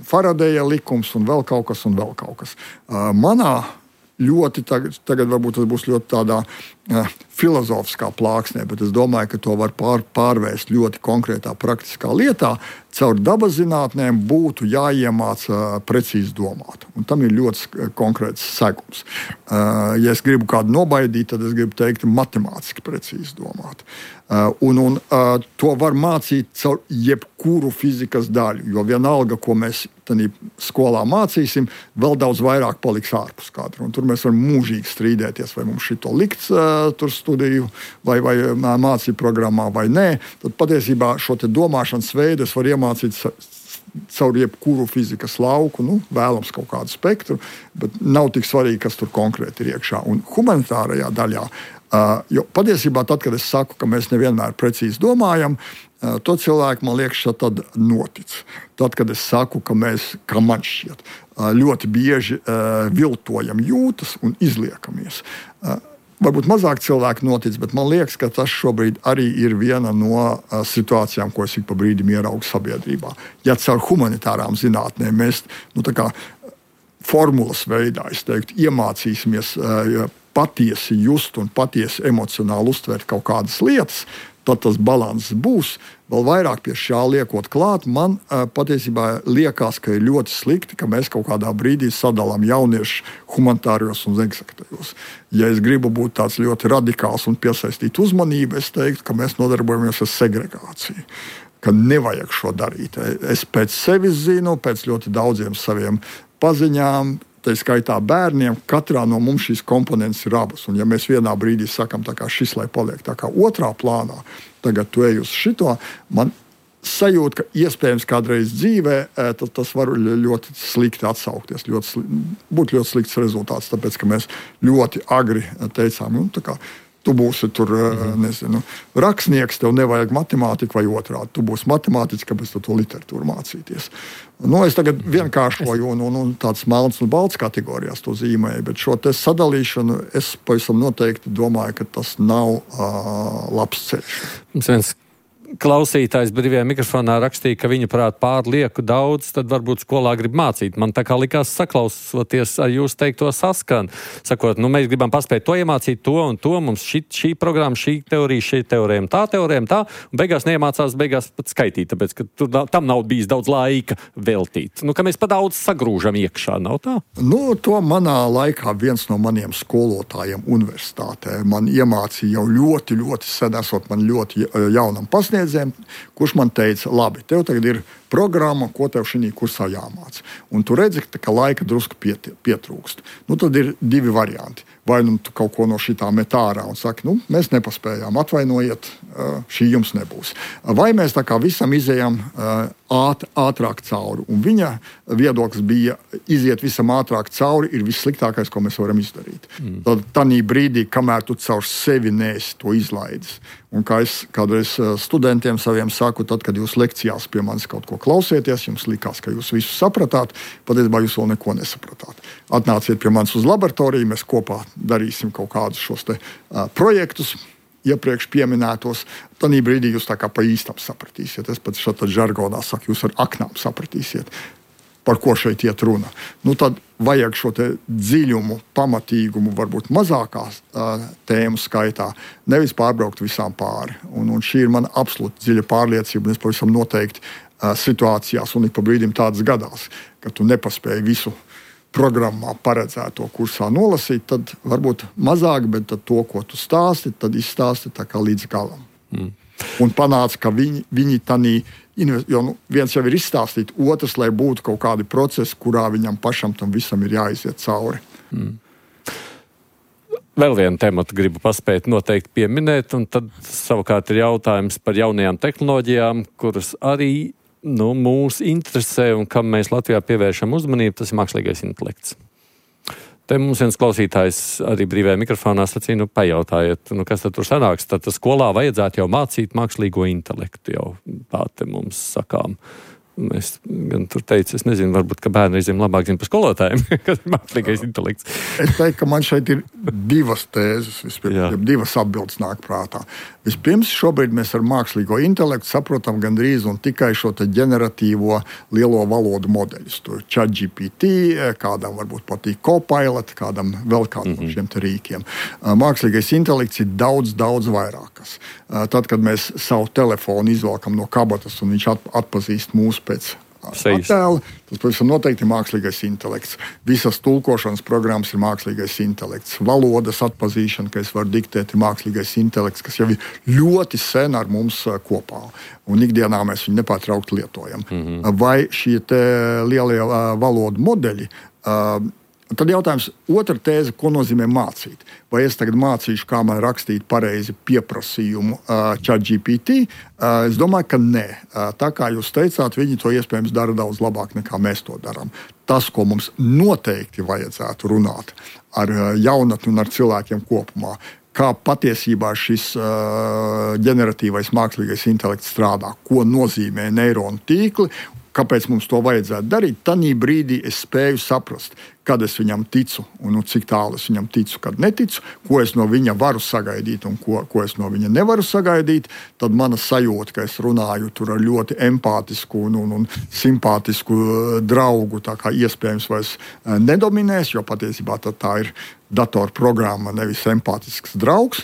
Faradeja likums un vēl kaut kas. Manā ļoti tagad varbūt tas būs ļoti tādā filozofiskā plāksnē, bet es domāju, ka to var pārvērst ļoti konkrētā praktiskā lietā. Caur dabas zinātnēm būtu jāiemāc precīzi domāt. Un tam ir ļoti konkrēts segums. Ja es gribu kādu nobaidīt, tad es gribu teikt matemātiski precīzi domāt. Un to var mācīt caur jebkuru fizikas daļu, jo vienalga, ko mēs skolā mācīsim, vēl daudz vairāk paliks ārpus kadra. Un tur mēs varam mūžīgi strīdēties, vai mums šito likt tur studiju vai mācību programmā vai nē. Tad patiesībā šo domāšanas veidu es varu iemācīt caur jebkuru fizikas lauku, vēlams kaut kādu spektru, bet nav tik svarīgi, kas tur konkrēti ir iekšā. Un humanitārajā daļā, jo patiesībā tad, kad es saku, ka mēs nevienmēr precīzi domājam, to cilvēku, man liekas, tad notic. Tad, kad es saku, ka mēs, kā man šķiet, ļoti bieži viltojam jūtas un izliekamies. Varbūt mazāk cilvēki notic, bet man liekas, ka tas šobrīd arī ir viena no situācijām, ko es ik pa brīdim ieraugu sabiedrībā. Ja caur humanitārām zinātnēm mēs formulas veidā, es teiktu, iemācīsimies patiesi just un patiesi emocionāli uztvert kaut kādas lietas, tad tas balanss būs. Vēl vairāk pie šā liekot klāt, man patiesībā liekas, ka ir ļoti slikti, ka mēs kaut kādā brīdī sadalām jauniešu humanitārijos un eksaktajos. Ja es gribu būt tāds ļoti radikāls un piesaistīt uzmanību, es teiktu, ka mēs nodarbojamies ar segregāciju. Ka nevajag šo darīt. Es pēc sevis zinu, pēc ļoti daudziem saviem paziņām, tā skaitā bērniem, katrā no mums šīs komponentes ir abas. Un ja mēs vienā brīdī sakam, tā kā šis, lai paliek tā kā otrā plānā, tagad tu ej uz šito, man sajūta, ka iespējams kādreiz dzīvē tas var ļoti slikti atsaukties, būt ļoti slikts rezultāts, tāpēc, ka mēs ļoti agri teicām, tu būsi tur, rakstnieks, tev nevajag matemātiku vai otrādi. Tu būsi matemātiķis, kāpēc tu to literatūru mācīties. Es tagad vienkāršoju un tāds melns un balts kategorijās to zīmēju, bet šo te sadalīšanu es pavisam noteikti domāju, ka tas nav labs ceļš. Mums viens klausītājs brīvajā mikrofonā rakstīja, ka viņa prāt pārlieku daudz, tad varbūt skolā grib mācīt. Man tā kā likās saklausoties ar jūs teikto saskan. Sakot, mēs gribam paspēt to iemācīt, to un to, mums šī programma, šī teorija, šī teorēma, tā, un beigās neiemācās pat skaitīt, tāpēc, ka tam nav bijis daudz laika veltīt. Ka mēs pa daudz sagrūžam iekšā, nav tā? To manā laikā viens no maniem skolotājiem universitātē man iemācīja jau ļoti, ļoti sen, esot man ļoti jaunam pasniedzējiem, kurš man teica, labi, tev tagad ir programma, ko tev šī kursā jāmāc. Un tu redzi, ka laika drusku pietrūkst. Tad ir divi varianti. Vai tu kaut ko no šitā met ārā un saki, mēs nepaspējām, atvainojiet, šī jums nebūs. Vai mēs tā kā visam izējām ātrāk cauri. Un viņa viedoklis bija, iziet visam ātrāk cauri ir vissliktākais, ko mēs varam izdarīt. Tad tanī brīdī, kamēr tu caur sevi neesi to izlaidis. Un kā es kādreiz studentiem saviem saku, tad, kad jūs lekcijās pie manis kaut ko klausieties, jums likās, ka jūs visu sapratāt, patiesībā jūs vēl neko nesapratāt. Atnāciet pie manis uz laboratoriju, mēs kopā darīsim kaut kādus šos te projektus, iepriekš pieminētos. Tanī brīdī jūs tā kā pa īstam sapratīsiet. Es pat šādā žargonā saku, jūs ar aknām sapratīsiet, par ko šeit iet runa. Tad vajag šo te dziļumu, pamatīgumu, varbūt mazākās tēmu skaitā, nevis pārbraukt visām pāri. Un šī ir mana absolūti dziļa pārliecība, un es pavisam noteikti situācijās, un ik pa brīdim tādas gadās, ka tu nepaspēji visu programmā paredzēto kursā nolasīt, tad varbūt mazāk, bet tad to, ko tu stāsti, tad izstāsti tā kā līdz galam. Un panāca, ka viņi tanī, jo viens jau ir izstāstīt, otrs, lai būtu kaut kādi procesi, kurā viņam pašam tam visam ir jāiziet cauri. Vēl vienu tematu gribu paspēt noteikti pieminēt, un tad savukārt ir jautājums par jaunajām tehnoloģijām, kuras arī mūs interesē un kam mēs Latvijā pievēršam uzmanību, tas ir mākslīgais intelekts. Te mums viens klausītājs arī brīvajā mikrofonā sacīja, pajautājiet, kas tad tur sanāks. Tad skolā vajadzētu jau mācīt mākslīgo intelektu, jau tā te mums sakām. Es gan tur teicu, es nezinu, varbūt, ka bērni reizēm labāk zina par skolotājiem, kas ir mākslīgais intelekts. Es teiktu, ka man šeit ir divas tēzes, divas atbildes nāk prātā. Vispirms, šobrīd mēs ar mākslīgo intelektu saprotam gandrīz un tikai šo te ģeneratīvo lielo valodu modeļus. Tur ChatGPT, kādam varbūt patīk Copilot, kādam vēl kādam no šiem te rīkiem. Mākslīgais intelekts ir daudz vairākas. Tad, kad mēs savu telefonu izvelkam no kabatas un viņš atpazīst mūsu pēc attēla, tas pavisam noteikti ir mākslīgais intelekts. Visas tulkošanas programmas ir mākslīgais intelekts. Valodas atpazīšana, ka es varu diktēt, ir mākslīgais intelekts, kas jau ir ļoti sen ar mums kopā. Un ikdienā mēs viņu nepārtraukti lietojam. Vai šie te lielie valodu modeļi, tad jautājums, otra tēze, ko nozīmē mācīt? Vai es tagad mācīšu, kā man rakstīt pareizi pieprasījumu ChatGPT? Es domāju, ka nē. Tā kā jūs teicāt, viņi to iespējams dara daudz labāk nekā mēs to darām. Tas, ko mums noteikti vajadzētu runāt ar jaunatni un ar cilvēkiem kopumā, kā patiesībā šis ģeneratīvais mākslīgais intelekts strādā, ko nozīmē neironu tīkli, kāpēc mums to vajadzētu darīt, tanī brīdī es spēju saprast, kad es viņam ticu un cik tālu es viņam ticu, kad neticu, ko es no viņa varu sagaidīt un ko es no viņa nevaru sagaidīt, tad mana sajūta, ka es runāju tur ar ļoti empātisku un simpātisku draugu, tā kā iespējams vairs nedominēs, jo patiesībā tā ir datorprogramma, nevis empātisks draugs.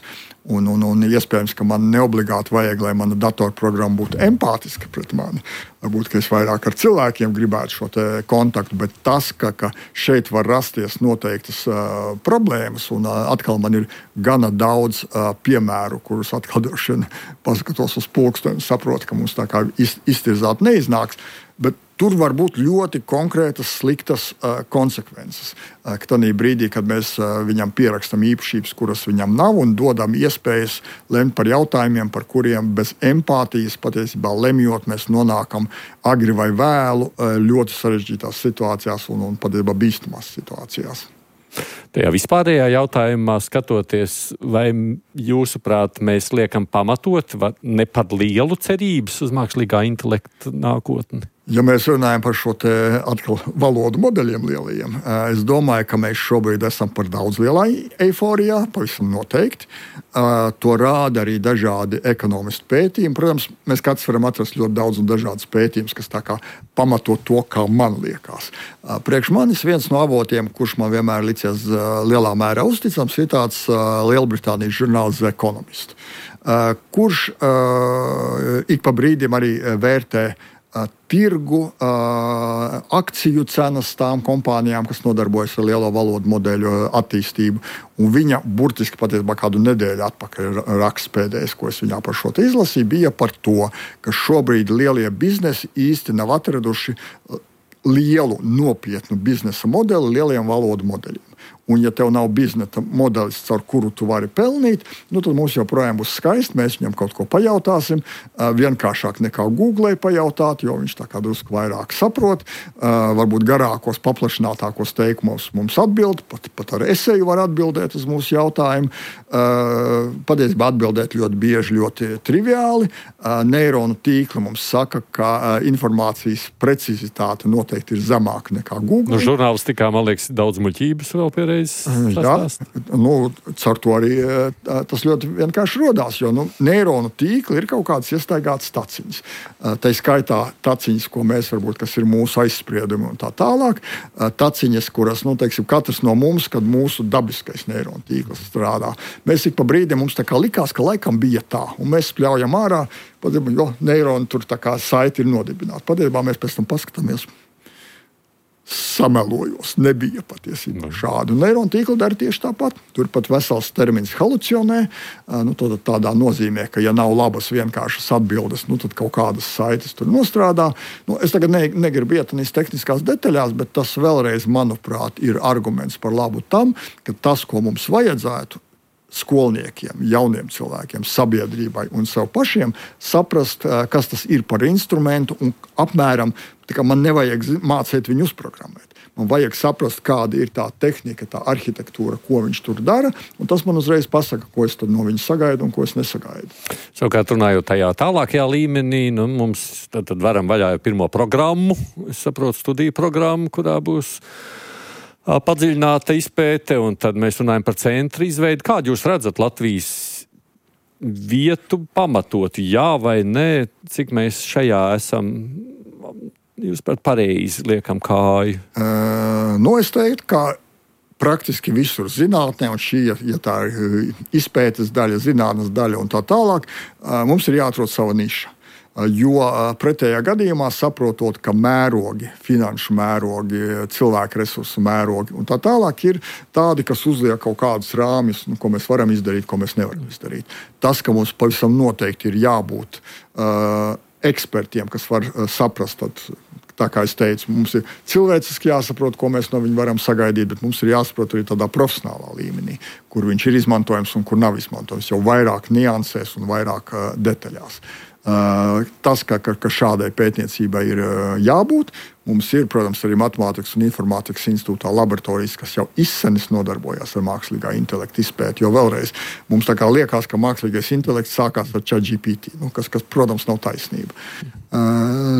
Un iespējams, ka man neobligāti vajag, lai mana datorprogramma būtu empātiska pret mani. Varbūt, ka es vairāk ar cilvēkiem gribētu šo te kontaktu, bet tas, ka šeit var rasties noteiktas problēmas, un atkal man ir gana daudz piemēru, kurus atkal droši vien paskatos uz pulksteni, saprotu, ka mums tā kā iztirzāt neiznāks, bet tur var būt ļoti konkrētas, sliktas konsekvences. Ka tādā brīdī, kad mēs viņam pierakstam īpašības, kuras viņam nav, un dodam iespējas lemt par jautājumiem, par kuriem bez empātijas patiesībā lemjot, mēs nonākam agri vai vēlu ļoti sarežģītās situācijās un patiesībā bīstamās situācijās. Tajā vispārējā jautājumā skatoties, vai jūsuprāt mēs liekam pamatot ne par lielu cerības uz mākslīgā intelekta nākotni? Ja mēs runājam par šo te atkal valodu modeļiem lielajiem, es domāju, ka mēs šobrīd esam par daudz lielā eiforijā, pavisam noteikti. To rāda arī dažādi ekonomistu pētījumi. Protams, mēs katrs varam atrast ļoti daudz un dažādas pētījumus, kas tā kā pamato to, kā man liekas. Priekš manis viens no avotiem, kurš man vienmēr licies lielā mērā uzticams, ir tāds Lielbritānijas žurnāls The Economist, kurš ik pa brīdim arī vērtē tirgu, akciju cenas tām kompānijām, kas nodarbojas ar lielo valodu modeļu attīstību. Un viņa burtiski patiesībā kādu nedēļu atpakaļ raksts pēdējais, ko es viņā par šo te izlasīju, bija par to, ka šobrīd lielie biznesi īsti nav atraduši lielu, nopietnu biznesa modeli lieliem valodu modeļiem. Un, ja tev nav biznesa modelis, caur kuru tu vari pelnīt, tad mums joprojām būs skaisti. Mēs viņam kaut ko pajautāsim. Vienkāršāk nekā Google pajautāt, jo viņš tā kā drusku vairāk saprot. Varbūt garākos, paplašinātākos teikumos mums atbild. Pat ar eseju var atbildēt uz mūsu jautājumu. Patiesībā atbildēt ļoti bieži, ļoti triviāli. Neironu tīkli mums saka, ka informācijas precizitāte noteikti ir zemāka nekā Google. Nu, žurnālistikā, man liekas, daudz muļķības vēl pierādīt. Jā, caur to arī tas ļoti vienkārši rodās, jo neironu tīkli ir kaut kādas iestaigātas taciņas. Tā skaitā taciņas, ko mēs varbūt, kas ir mūsu aizspriedumi un tā tālāk. Taciņas, kuras, teiksim, katrs no mums, kad mūsu dabiskais neironu tīkls strādā. Mēs ik pa brīdim mums tā kā likās, ka laikam bija tā, un mēs spļaujam ārā, jo neironi tur tā kā saiti ir nodibināti. Patiesībā mēs pēc tam paskatāmies. Samelojos, nebija patiesībā šādu. Neironu tīkli dara tieši tāpat. Tur pat vesels termins halucionē. Tādā nozīmē, ka ja nav labas vienkāršas atbildes, tad kaut kādas saites tur nostrādā. Es tagad negribu iet tādās tehniskās detaļās, bet tas vēlreiz, manuprāt, ir arguments par labu tam, ka tas, ko mums vajadzētu, skolniekiem, jauniem cilvēkiem, sabiedrībai un sev pašiem saprast, kas tas ir par instrumentu un apmēram, tā kā man nevajag mācīt viņu uzprogrammēt. Man vajag saprast, kāda ir tā tehnika, tā arhitektūra, ko viņš tur dara, un tas man uzreiz pasaka, ko es tad no viņa sagaidu un ko es nesagaidu. Savukārt runājot tajā tālākajā līmenī, mums tad varam vaļā pirmo programmu, es saprotu, studiju programmu, kurā būs padziļināta izpēte, un tad mēs runājam par centru izveidi. Kādu jūs redzat Latvijas vietu pamatot, jā vai nē, cik mēs šajā esam... Jūs pat pareizi liekam kāju? Es teiktu, ka praktiski visur zinātnē, un šī, ja tā ir izpētes daļa, zinātnes daļa un tā tālāk, mums ir jāatrod sava niša. Jo pretējā gadījumā saprotot, ka mērogi, finanšu mērogi, cilvēku resursu mērogi un tā tālāk ir tādi, kas uzliek kaut kādus rāmjus, ko mēs varam izdarīt, ko mēs nevaram izdarīt. Tas, ka mums pavisam noteikti ir jābūt ekspertiem, kas var saprast, tad, tā kā es teicu, mums ir cilvēciski jāsaprot, ko mēs no viņa varam sagaidīt, bet mums ir jāsaprot arī tādā profesionālā līmenī, kur viņš ir izmantojams un kur nav izmantojams, jau vairāk niansēs un vairāk detaļās. Tas, ka šādai pētniecībai ir jābūt, mums ir, protams, arī Matemātikas un informātikas institūtā laboratorijas, kas jau izsenis nodarbojās ar mākslīgā intelekta izpēti, jo vēlreiz mums tā kā liekas, ka mākslīgais intelekts sākās ar ChatGPT, kas, protams, nav taisnība.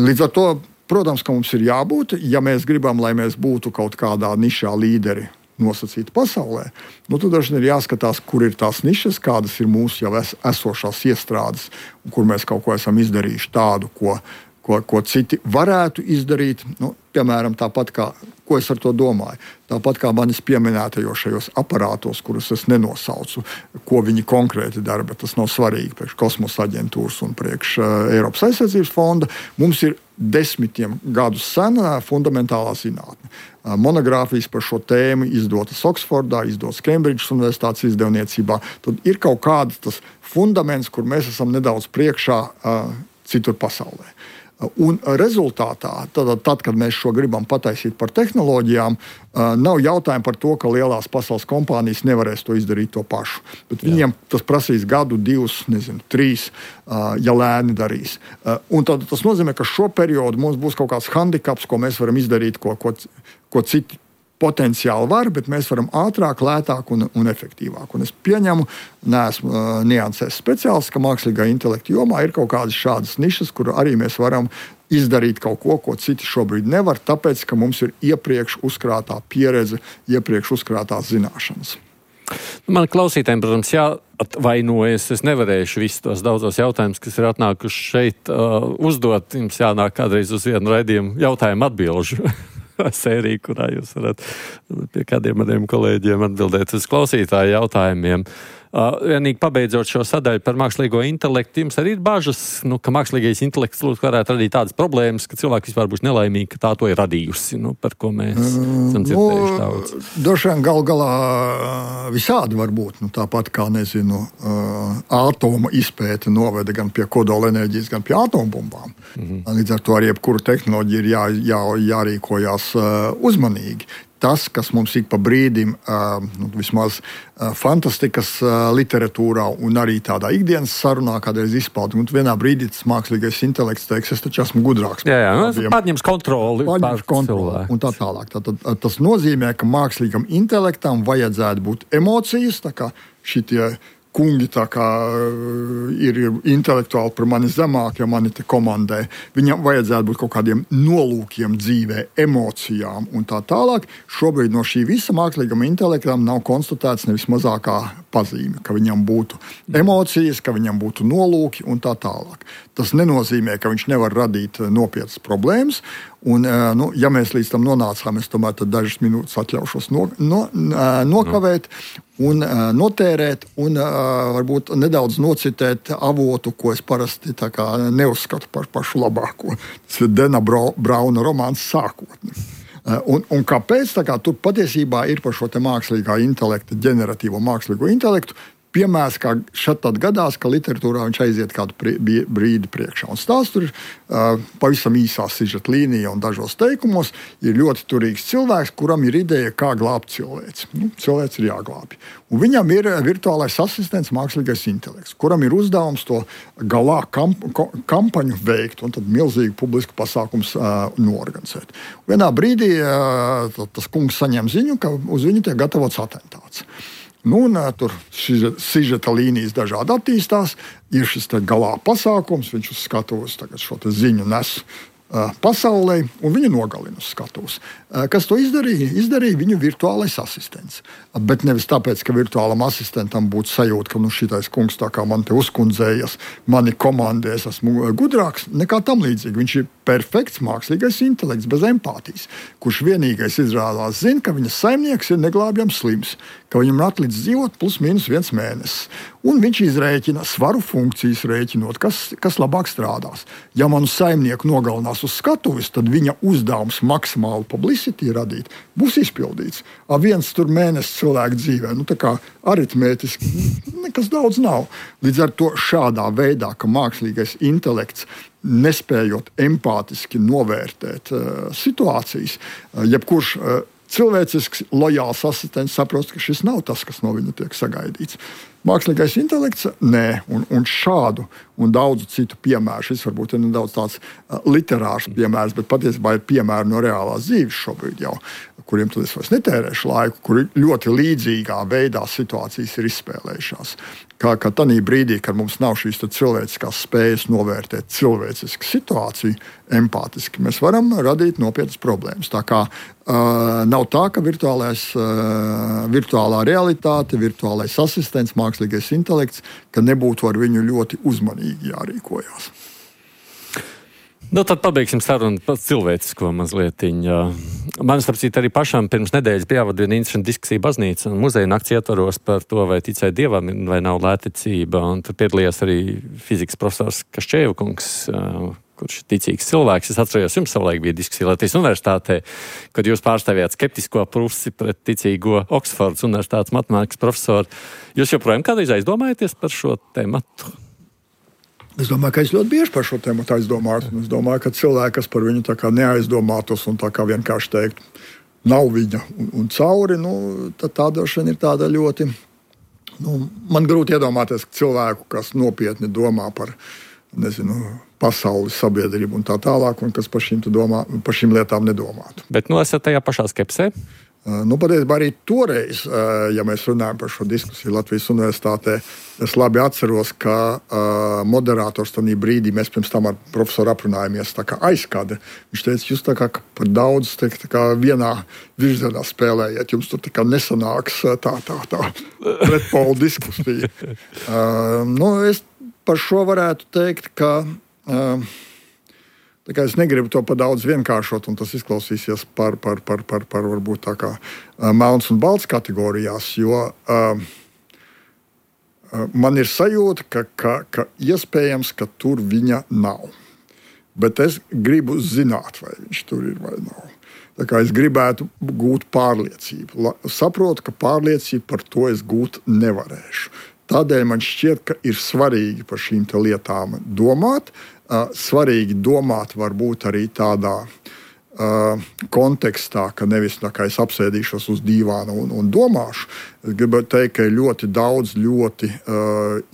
Līdz ar to, protams, ka mums ir jābūt, ja mēs gribam, lai mēs būtu kaut kādā nišā līderi nosacīti pasaulē, tad dažreiz ir jāskatās, kur ir tās nišas, kādas ir mūsu jau esošās iestrādes, un kur mēs kaut ko esam izdarījuši tādu, ko citi varētu izdarīt. Piemēram, tāpat kā, ko es ar to domāju, tāpat kā manis pieminētajos aparātos, kurus es nenosaucu, ko viņi konkrēti dara, bet tas nav svarīgi priekš kosmosa aģentūras un priekš Eiropas aizsardzības fonda, mums ir 10 gadus sena fundamentālā zinātne. Monogrāfijas par šo tēmu izdotas Oksfordā, izdotas Kembridžas universitātes izdevniecībā. Tad ir kaut kāds tas fundaments, kur mēs esam nedaudz priekšā citur pasaulē. Un rezultātā, tad, kad mēs šo gribam pataisīt par tehnoloģijām, nav jautājumi par to, ka lielās pasaules kompānijas nevarēs to izdarīt to pašu. Bet viņiem tas prasīs gadu, 2, 3, ja lēni darīs. Un tad tas nozīmē, ka šo periodu mums būs kaut kāds handikaps, ko mēs varam izdarīt, ko citi potenciāli var, bet mēs varam ātrāk, lētāk un efektīvāk. Un es pieņemu, neesmu niansēs speciālists, ka mākslīgā intelekta jomā ir kaut kādas šādas nišas, kur arī mēs varam izdarīt kaut ko citi šobrīd nevar, tāpēc, ka mums ir iepriekš uzkrātā pieredze, iepriekš uzkrātās zināšanas. Man klausītājiem, protams, jāatvainojas. Es nevarēšu visus tos daudzos jautājumus, kas ir atnākuši šeit, uzdot. Jums jānāk kādreiz uz vienu raidījumu jautājumu atbilžu sēriju, kurā jūs varat pie kādiem maniem kolēģiem atbildēt uz klausītāju jautājumiem. Vienīgi pabeidzot šo sadaļu par mākslīgo intelektu, jums arī ir bažas, ka mākslīgais intelekts varētu radīt tādas problēmas, ka cilvēki vispār būs nelaimīgi, ka tā to ir radījusi, par ko mēs esam dzirdējuši daudz. Droši vien galā visādi var būt. Tāpat kā, ātoma izpēte noveda gan pie kodola enerģijas, gan pie atombumbām. Līdz ar to ar jebkuru tehnoloģiju ir jārīkojās uzmanīgi. Tas, kas mums ik pa brīdim, vismaz fantastikas literatūrā un arī tādā ikdienas sarunā kādreiz izpauda, un vienā brīdī tas mākslīgais intelekts teiks, es taču esmu gudrāks. Pārņems kontroli pār cilvēku. Un tā tālāk. Tas nozīmē, ka mākslīgam intelektam vajadzētu būt emocijas, tā kā šitie kungi tā kā ir intelektuāli par mani zemāk, ja mani te komandē. Viņam vajadzētu būt kaut kādiem nolūkiem dzīvē, emocijām un tā tālāk. Šobrīd no šī visa mākslīgam intelektam nav konstatēts nevis mazākā pazīme, ka viņam būtu emocijas, ka viņam būtu nolūki un tā tālāk. Tas nenozīmē, ka viņš nevar radīt nopietnas problēmas. Un, ja mēs līdz tam nonācām, es tomēr dažas minūtes atļaušos nokavēt un notērēt un varbūt nedaudz nocitēt avotu, ko es parasti neuzskatu par pašu labāko. Tas ir Dena Brauna romāns Sākotne. Un kāpēc? Tur patiesībā ir par šo te mākslīgā intelekta, ģeneratīvo mākslīgo intelektu piemērs, kā šad tad gadās, ka literatūrā viņš aiziet kādu brīdi priekšā. Un stāsts tur pavisam īsā sižeta līnija un dažos teikumos ir ļoti turīgs cilvēks, kuram ir ideja, kā glābt cilvēci. Cilvēks ir jāglābj. Un viņam ir virtuālais asistents, mākslīgais intelekts, kuram ir uzdevums to galā kampaņu veikt un tad milzīgu publisku pasākums norganizēt. Vienā brīdī tas kungs saņem ziņu, ka uz viņu tiek gatavots atentāts. Tur sižeta līnijas dažādi attīstās, ir šis galā pasākums, viņš uz skatuves šo ziņu nes pasaulē, un viņu nogalina uz skatuves. Kas to izdarīja? Izdarīja viņu virtuālais asistents. Bet nevis tāpēc, ka virtuālam asistentam būtu sajūta, ka šitais kungs tā kā man te uzkundzējas, mani komandē, es esmu gudrāks, nekā tam līdzīgi. Viņš ir perfekts mākslīgais intelekts bez empātijas, kurš vienīgais izrādās zina, ka viņa saimnieks ir neglābjams slims, ka viņam ir atlicis dzīvot +/- 1 mēnesis. Un viņš izrēķina svaru funkcijas rēķinot, kas labāk strādās. Ja manu saimnieku nogalinās uz skatuves, tad viņa uzdevums maksimāli publicity radīt būs izpildīts. Viens tur mēnesis cilvēku dzīvē, tā kā aritmētiski nekas daudz nav. Līdz ar to šādā veidā, ka mākslīgais intelekts nespējot empātiski novērtēt situācijas, jebkurš cilvēcisks, lojāls asistents saprost, ka šis nav tas, kas no viņa tiek sagaidīts. Mākslīgais intelekts nē, un šādu un daudzu citu piemēru. Šis varbūt ir nedaudz tāds literārs piemērs, bet patiesībā ir piemēri no reālās dzīves šobrīd jau, kuriem tad es vairs netērēšu laiku, kuri ļoti līdzīgā veidā situācijas ir izspēlējušās. Kā tādā brīdī, kad mums nav šīs cilvēciskās spējas novērtēt cilvēcisku situāciju empātiski, mēs varam radīt nopietnas problēmas. Tā kā nav tā, ka virtuālā realitāte, virtuālais asistents, mākslīgais intelekts, ka nebūtu ar viņu ļoti uzmanīgi jārīkojās. Tad pabeigsim sarunu par cilvēcisko mazlietiņu. Man, starp citu, arī pašām pirms nedēļas bija jāvada viena interesanta diskusija baznīca un muzeja nakts ietvaros par to, vai ticēt Dievam vai nav lētticība. Un tur piedalījās arī fizikas profesors Kaščēvkungs, kurš ir ticīgs cilvēks. Es atceros, jums savulaik bija diskusija Latvijas universitātē, kad jūs pārstāvjāt skeptisko pusi pret ticīgo Oksfordas universitātes matemātikas profesoru. Jūs joprojām kādreiz aizdomājaties par šo tematu? Es domāju, ka es ļoti bieži par šo tēmu aizdomājos. Es domāju, ka cilvēki, kas par viņu tā kā neaizdomātos un tā kā vienkārši teiktu, nav viņa un cauri, tad tā droši vien ir tāda ļoti. Man grūti iedomāties cilvēku, kas nopietni domā par, pasaules sabiedrību un tā tālāk, un kas par šīm lietām nedomātu. Bet esat tajā pašā skepsē? Patiesībā arī toreiz, ja mēs runājam par šo diskusiju Latvijas universitātē, es labi atceros, ka moderators tajā brīdī, mēs pirms tam ar profesoru aprunājāmies tā kā aizkadri. Viņš teica, jūs tā kā par daudz tā kā vienā virzienā spēlējiet, jums tur tā kā nesanāks tā pretpolu diskusija. Es par šo varētu teikt, ka es negribu to par daudz vienkāršot, un tas izklausīsies par varbūt tā kā melns un balts kategorijās, jo man ir sajūta, ka iespējams, ka tur viņa nav. Bet es gribu zināt, vai viņš tur ir vai nav. Tā kā es gribētu gūt pārliecību. Saprotu, ka pārliecību par to es gūt nevarēšu. Tādēļ man šķiet, ka ir svarīgi par šīm lietām domāt. Svarīgi domāt varbūt arī tādā kontekstā, ka nevis tā kā es apsēdīšos uz dīvāna un domāšu. Es gribētu teikt, ka ir ļoti daudz ļoti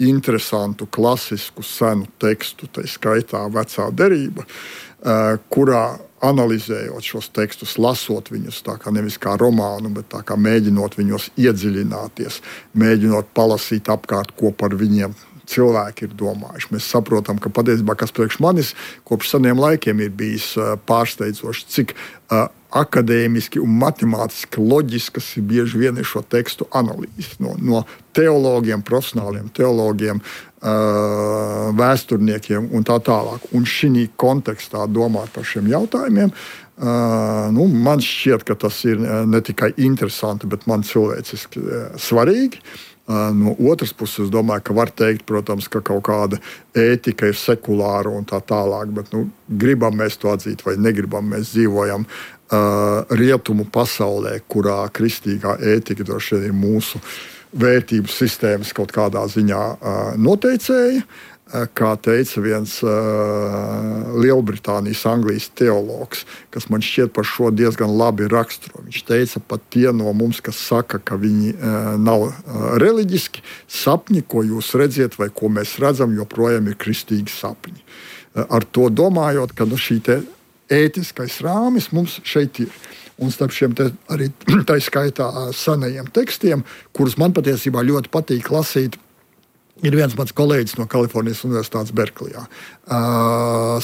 interesantu, klasisku, senu tekstu, tā skaitā Vecā derība, kurā analizējot šos tekstus, lasot viņus tā kā nevis kā romānu, bet tā kā mēģinot viņos iedziļināties, mēģinot palasīt apkārt, ko par viņiem cilvēki ir domājuši. Mēs saprotam, ka patiesībā, kas priekš manis kopš seniem laikiem ir bijis pārsteidzoši, cik akadēmiski un matemātiski loģiskas ir bieži vien šo tekstu analīzes. No teologiem, profesionāliem teologiem, vēsturniekiem un tā tālāk. Un šī kontekstā domāt par šiem jautājumiem, man šķiet, ka tas ir ne tikai interesanti, bet man cilvēciski svarīgi. No otras puses, es domāju, ka var teikt, protams, ka kaut kāda ētika ir sekulāra un tā tālāk, bet gribam mēs to atzīt vai negribam, mēs dzīvojam rietumu pasaulē, kurā kristīgā ētika droši vien ir mūsu vērtību sistēmas kaut kādā ziņā noteicēja. Kā teica viens Lielbritānijas, Anglijas teologs, kas man šķiet par šo diezgan labi raksturo. Viņš teica, pat tie no mums, kas saka, ka viņi nav reliģiski, sapņi, ko jūs redziet vai ko mēs redzam, joprojām ir kristīgi sapņi. Ar to domājot, ka šī te ētiskais rāmis mums šeit ir. Un starp šiem arī tā skaitā senajiem tekstiem, kurus man patiesībā ļoti patīk lasīt, ir viens mans kolēģis no Kalifornijas Universitātes Berklijā,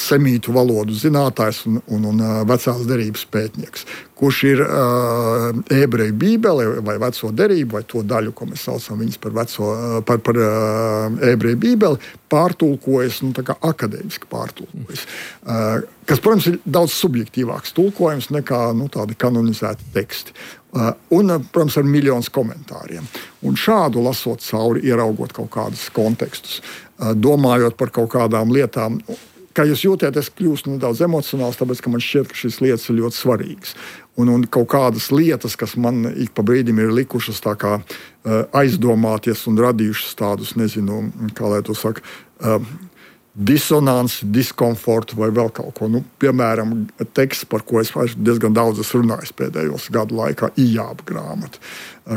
semītu valodu zinātājs un vecās derības pētnieks, kurš ir ebreju bībeli vai veco derību, vai to daļu, ko mēs saucam viņas par ebreju bībeli, pārtulkojas, tā kā akadēmiski pārtulkojas. Kas, protams, ir daudz subjektīvāks tulkojums nekā tādi kanonizēti teksti. Un, protams, ar miljonus komentāriem. Un šādu lasot cauri, ieraugot kaut kādus kontekstus, domājot par kaut kādām lietām, kā jūs jūtat, es kļūstu nedaudz emocionāls, tāpēc, ka man šķiet, ka šīs lietas ir ļoti svarīgas. Un kaut kādas lietas, kas man ik pa brīdim ir likušas tā kā aizdomāties un radījušas tādus, nezinu, kā lai to saka, disonanci, diskomfortu vai vēl kaut ko. Piemēram, teksts, par ko es diezgan daudz esmu runājis pēdējos gadu laikā, Ijāba grāmata,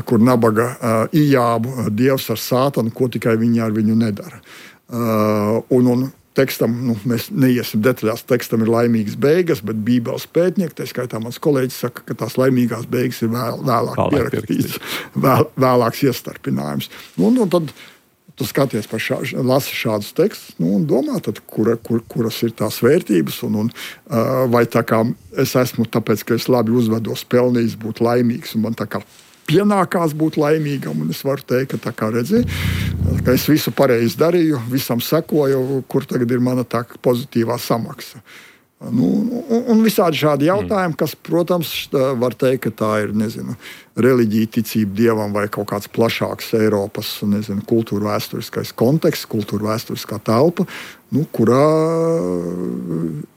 kur nabaga Ijābu dievs ar sātanu, ko tikai viņi ar viņu nedara. Un tekstam, mēs neiesim detaļās, tekstam ir laimīgas beigas, bet Bībeles pētnieki, tā skaitā mans kolēģis saka, ka tās laimīgās beigas ir vēlāk pierakstītas, vēlāks iestarpinājums. Un tad tu skaties lasi šādus tekstus un domā, tad, kuras ir tās vērtības, vai tā kā es esmu, tāpēc, ka es labi uzvedos, pelnījis būt laimīgs, un man tā kā pienākās būt laimīgam, un es varu teikt, ka tā kā redzi, ka es visu pareizi darīju, visam sekoju, kur tagad ir mana tā pozitīvā samaksa. Un visādi šādi jautājumi, kas, protams, var teikt, ka tā ir, nezinu, reliģija, ticība dievam vai kaut kāds plašāks Eiropas, nezinu, kultūra vēsturiskais konteksts, kultūra vēsturiskā telpa, kurā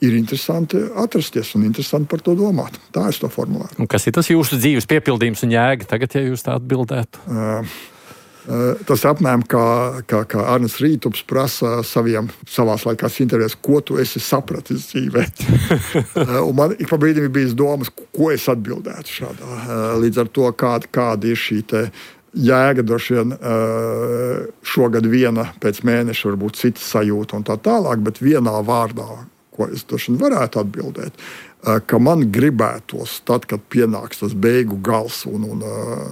ir interesanti atrasties un interesanti par to domāt. Tā es to formulētu. Un kas ir tas jūsu dzīves piepildījums un jēga tagad, ja jūs tā atbildētu? Tas apmēram kā Arnis Rītups prasa savās laikās intervijās, ko tu esi sapratis dzīvē. Un man ik pa brīdim ir bijis domas, ko es atbildētu šādā. Līdz ar to, kāda ir šī te jēga, droši vien šogad viena, pēc mēneša varbūt cita sajūta un tā tālāk, bet vienā vārdā, ko es droši vien varētu atbildēt, ka man gribētos, tad, kad pienāks tas beigu gals un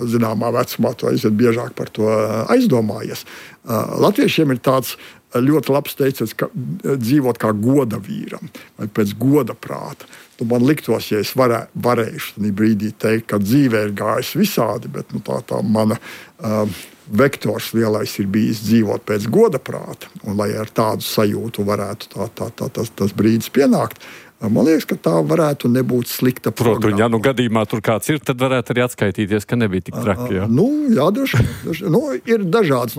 zināmā vecumā to aiziet biežāk par to aizdomājies. Latviešiem ir tāds ļoti labs teiciens, ka dzīvot kā goda vīram vai pēc goda prāta. Man liktos, ja es varēšu tādā brīdī teikt, ka dzīvē ir gājis visādi, bet tā mana vektors lielais ir bijis dzīvot pēc goda prāta, un lai ar tādu sajūtu varētu tas brīdis pienākt. Man liekas, ka tā varētu nebūt slikta programma. Protams, ja gadījumā tur kāds ir, tad varētu arī atskaitīties, ka nebija tik traki. Jā, droši. Ir dažāds.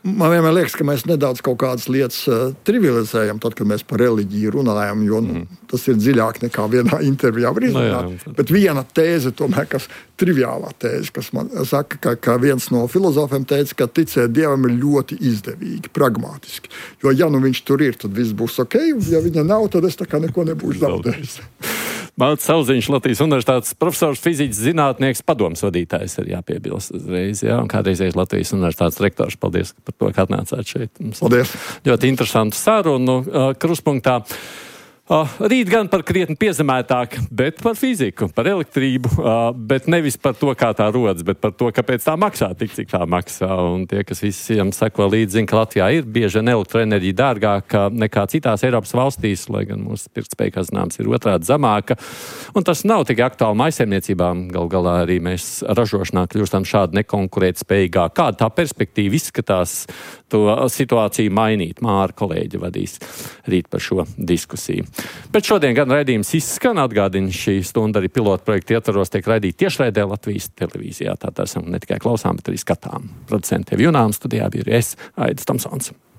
Man vienmēr liekas, ka mēs nedaudz kaut kādas lietas trivializējam, tad, kad mēs par reliģiju runājam, jo tas ir dziļāk nekā vienā intervijā var izrunāt. Bet viena tēze, tomēr, kas triviālā tēze, kas man saka, ka viens no filozofiem teica, ka ticēt Dievam ir ļoti izdevīgi, pragmatiski. Jo, ja viņš tur ir, tad viss būs ok, un ja viņa nav, tad es tā kā neko nebūšu zaudējis. Mārts Sauziņš, Latvijas Universitātes profesors, fizikas zinātnieks, padomes vadītājs ir jāpiebilst uzreiz, un kādreizējais Latvijas Universitātes rektors. Paldies par to, ka atnācāt šeit. Paldies. Ļoti interesantu sarunu Kruspunktā. Rīt gan par krietni piezemētāk, bet par fiziku, par elektrību, bet nevis par to, kā tā rodas, bet par to, kāpēc tā maksā tik, cik tā maksā. Un tie, kas visiem seko līdzi, zina, ka Latvijā ir bieži elektroenerģija dārgāka nekā citās Eiropas valstīs, lai gan mūsu pirktspēja, kā zināms, ir otrādi zemāka. Un tas nav tikai aktuāli mājsaimniecībām, gal galā arī mēs ražošanā kļūstam šādi nekonkurētspējīgāk. Kāda tā perspektīva izskatās to situāciju mainīt? Māra kolēģi vadīs rīt par šo diskusiju. Bet šodien gan raidījums izskan, atgādina šī stunda arī pilotu projektu ietvaros tiek raidīti tiešraidē Latvijas televīzijā. Tātad esam ne tikai klausām, bet arī skatām. Producenti Junām studijā bija es, Aidis Tomsons.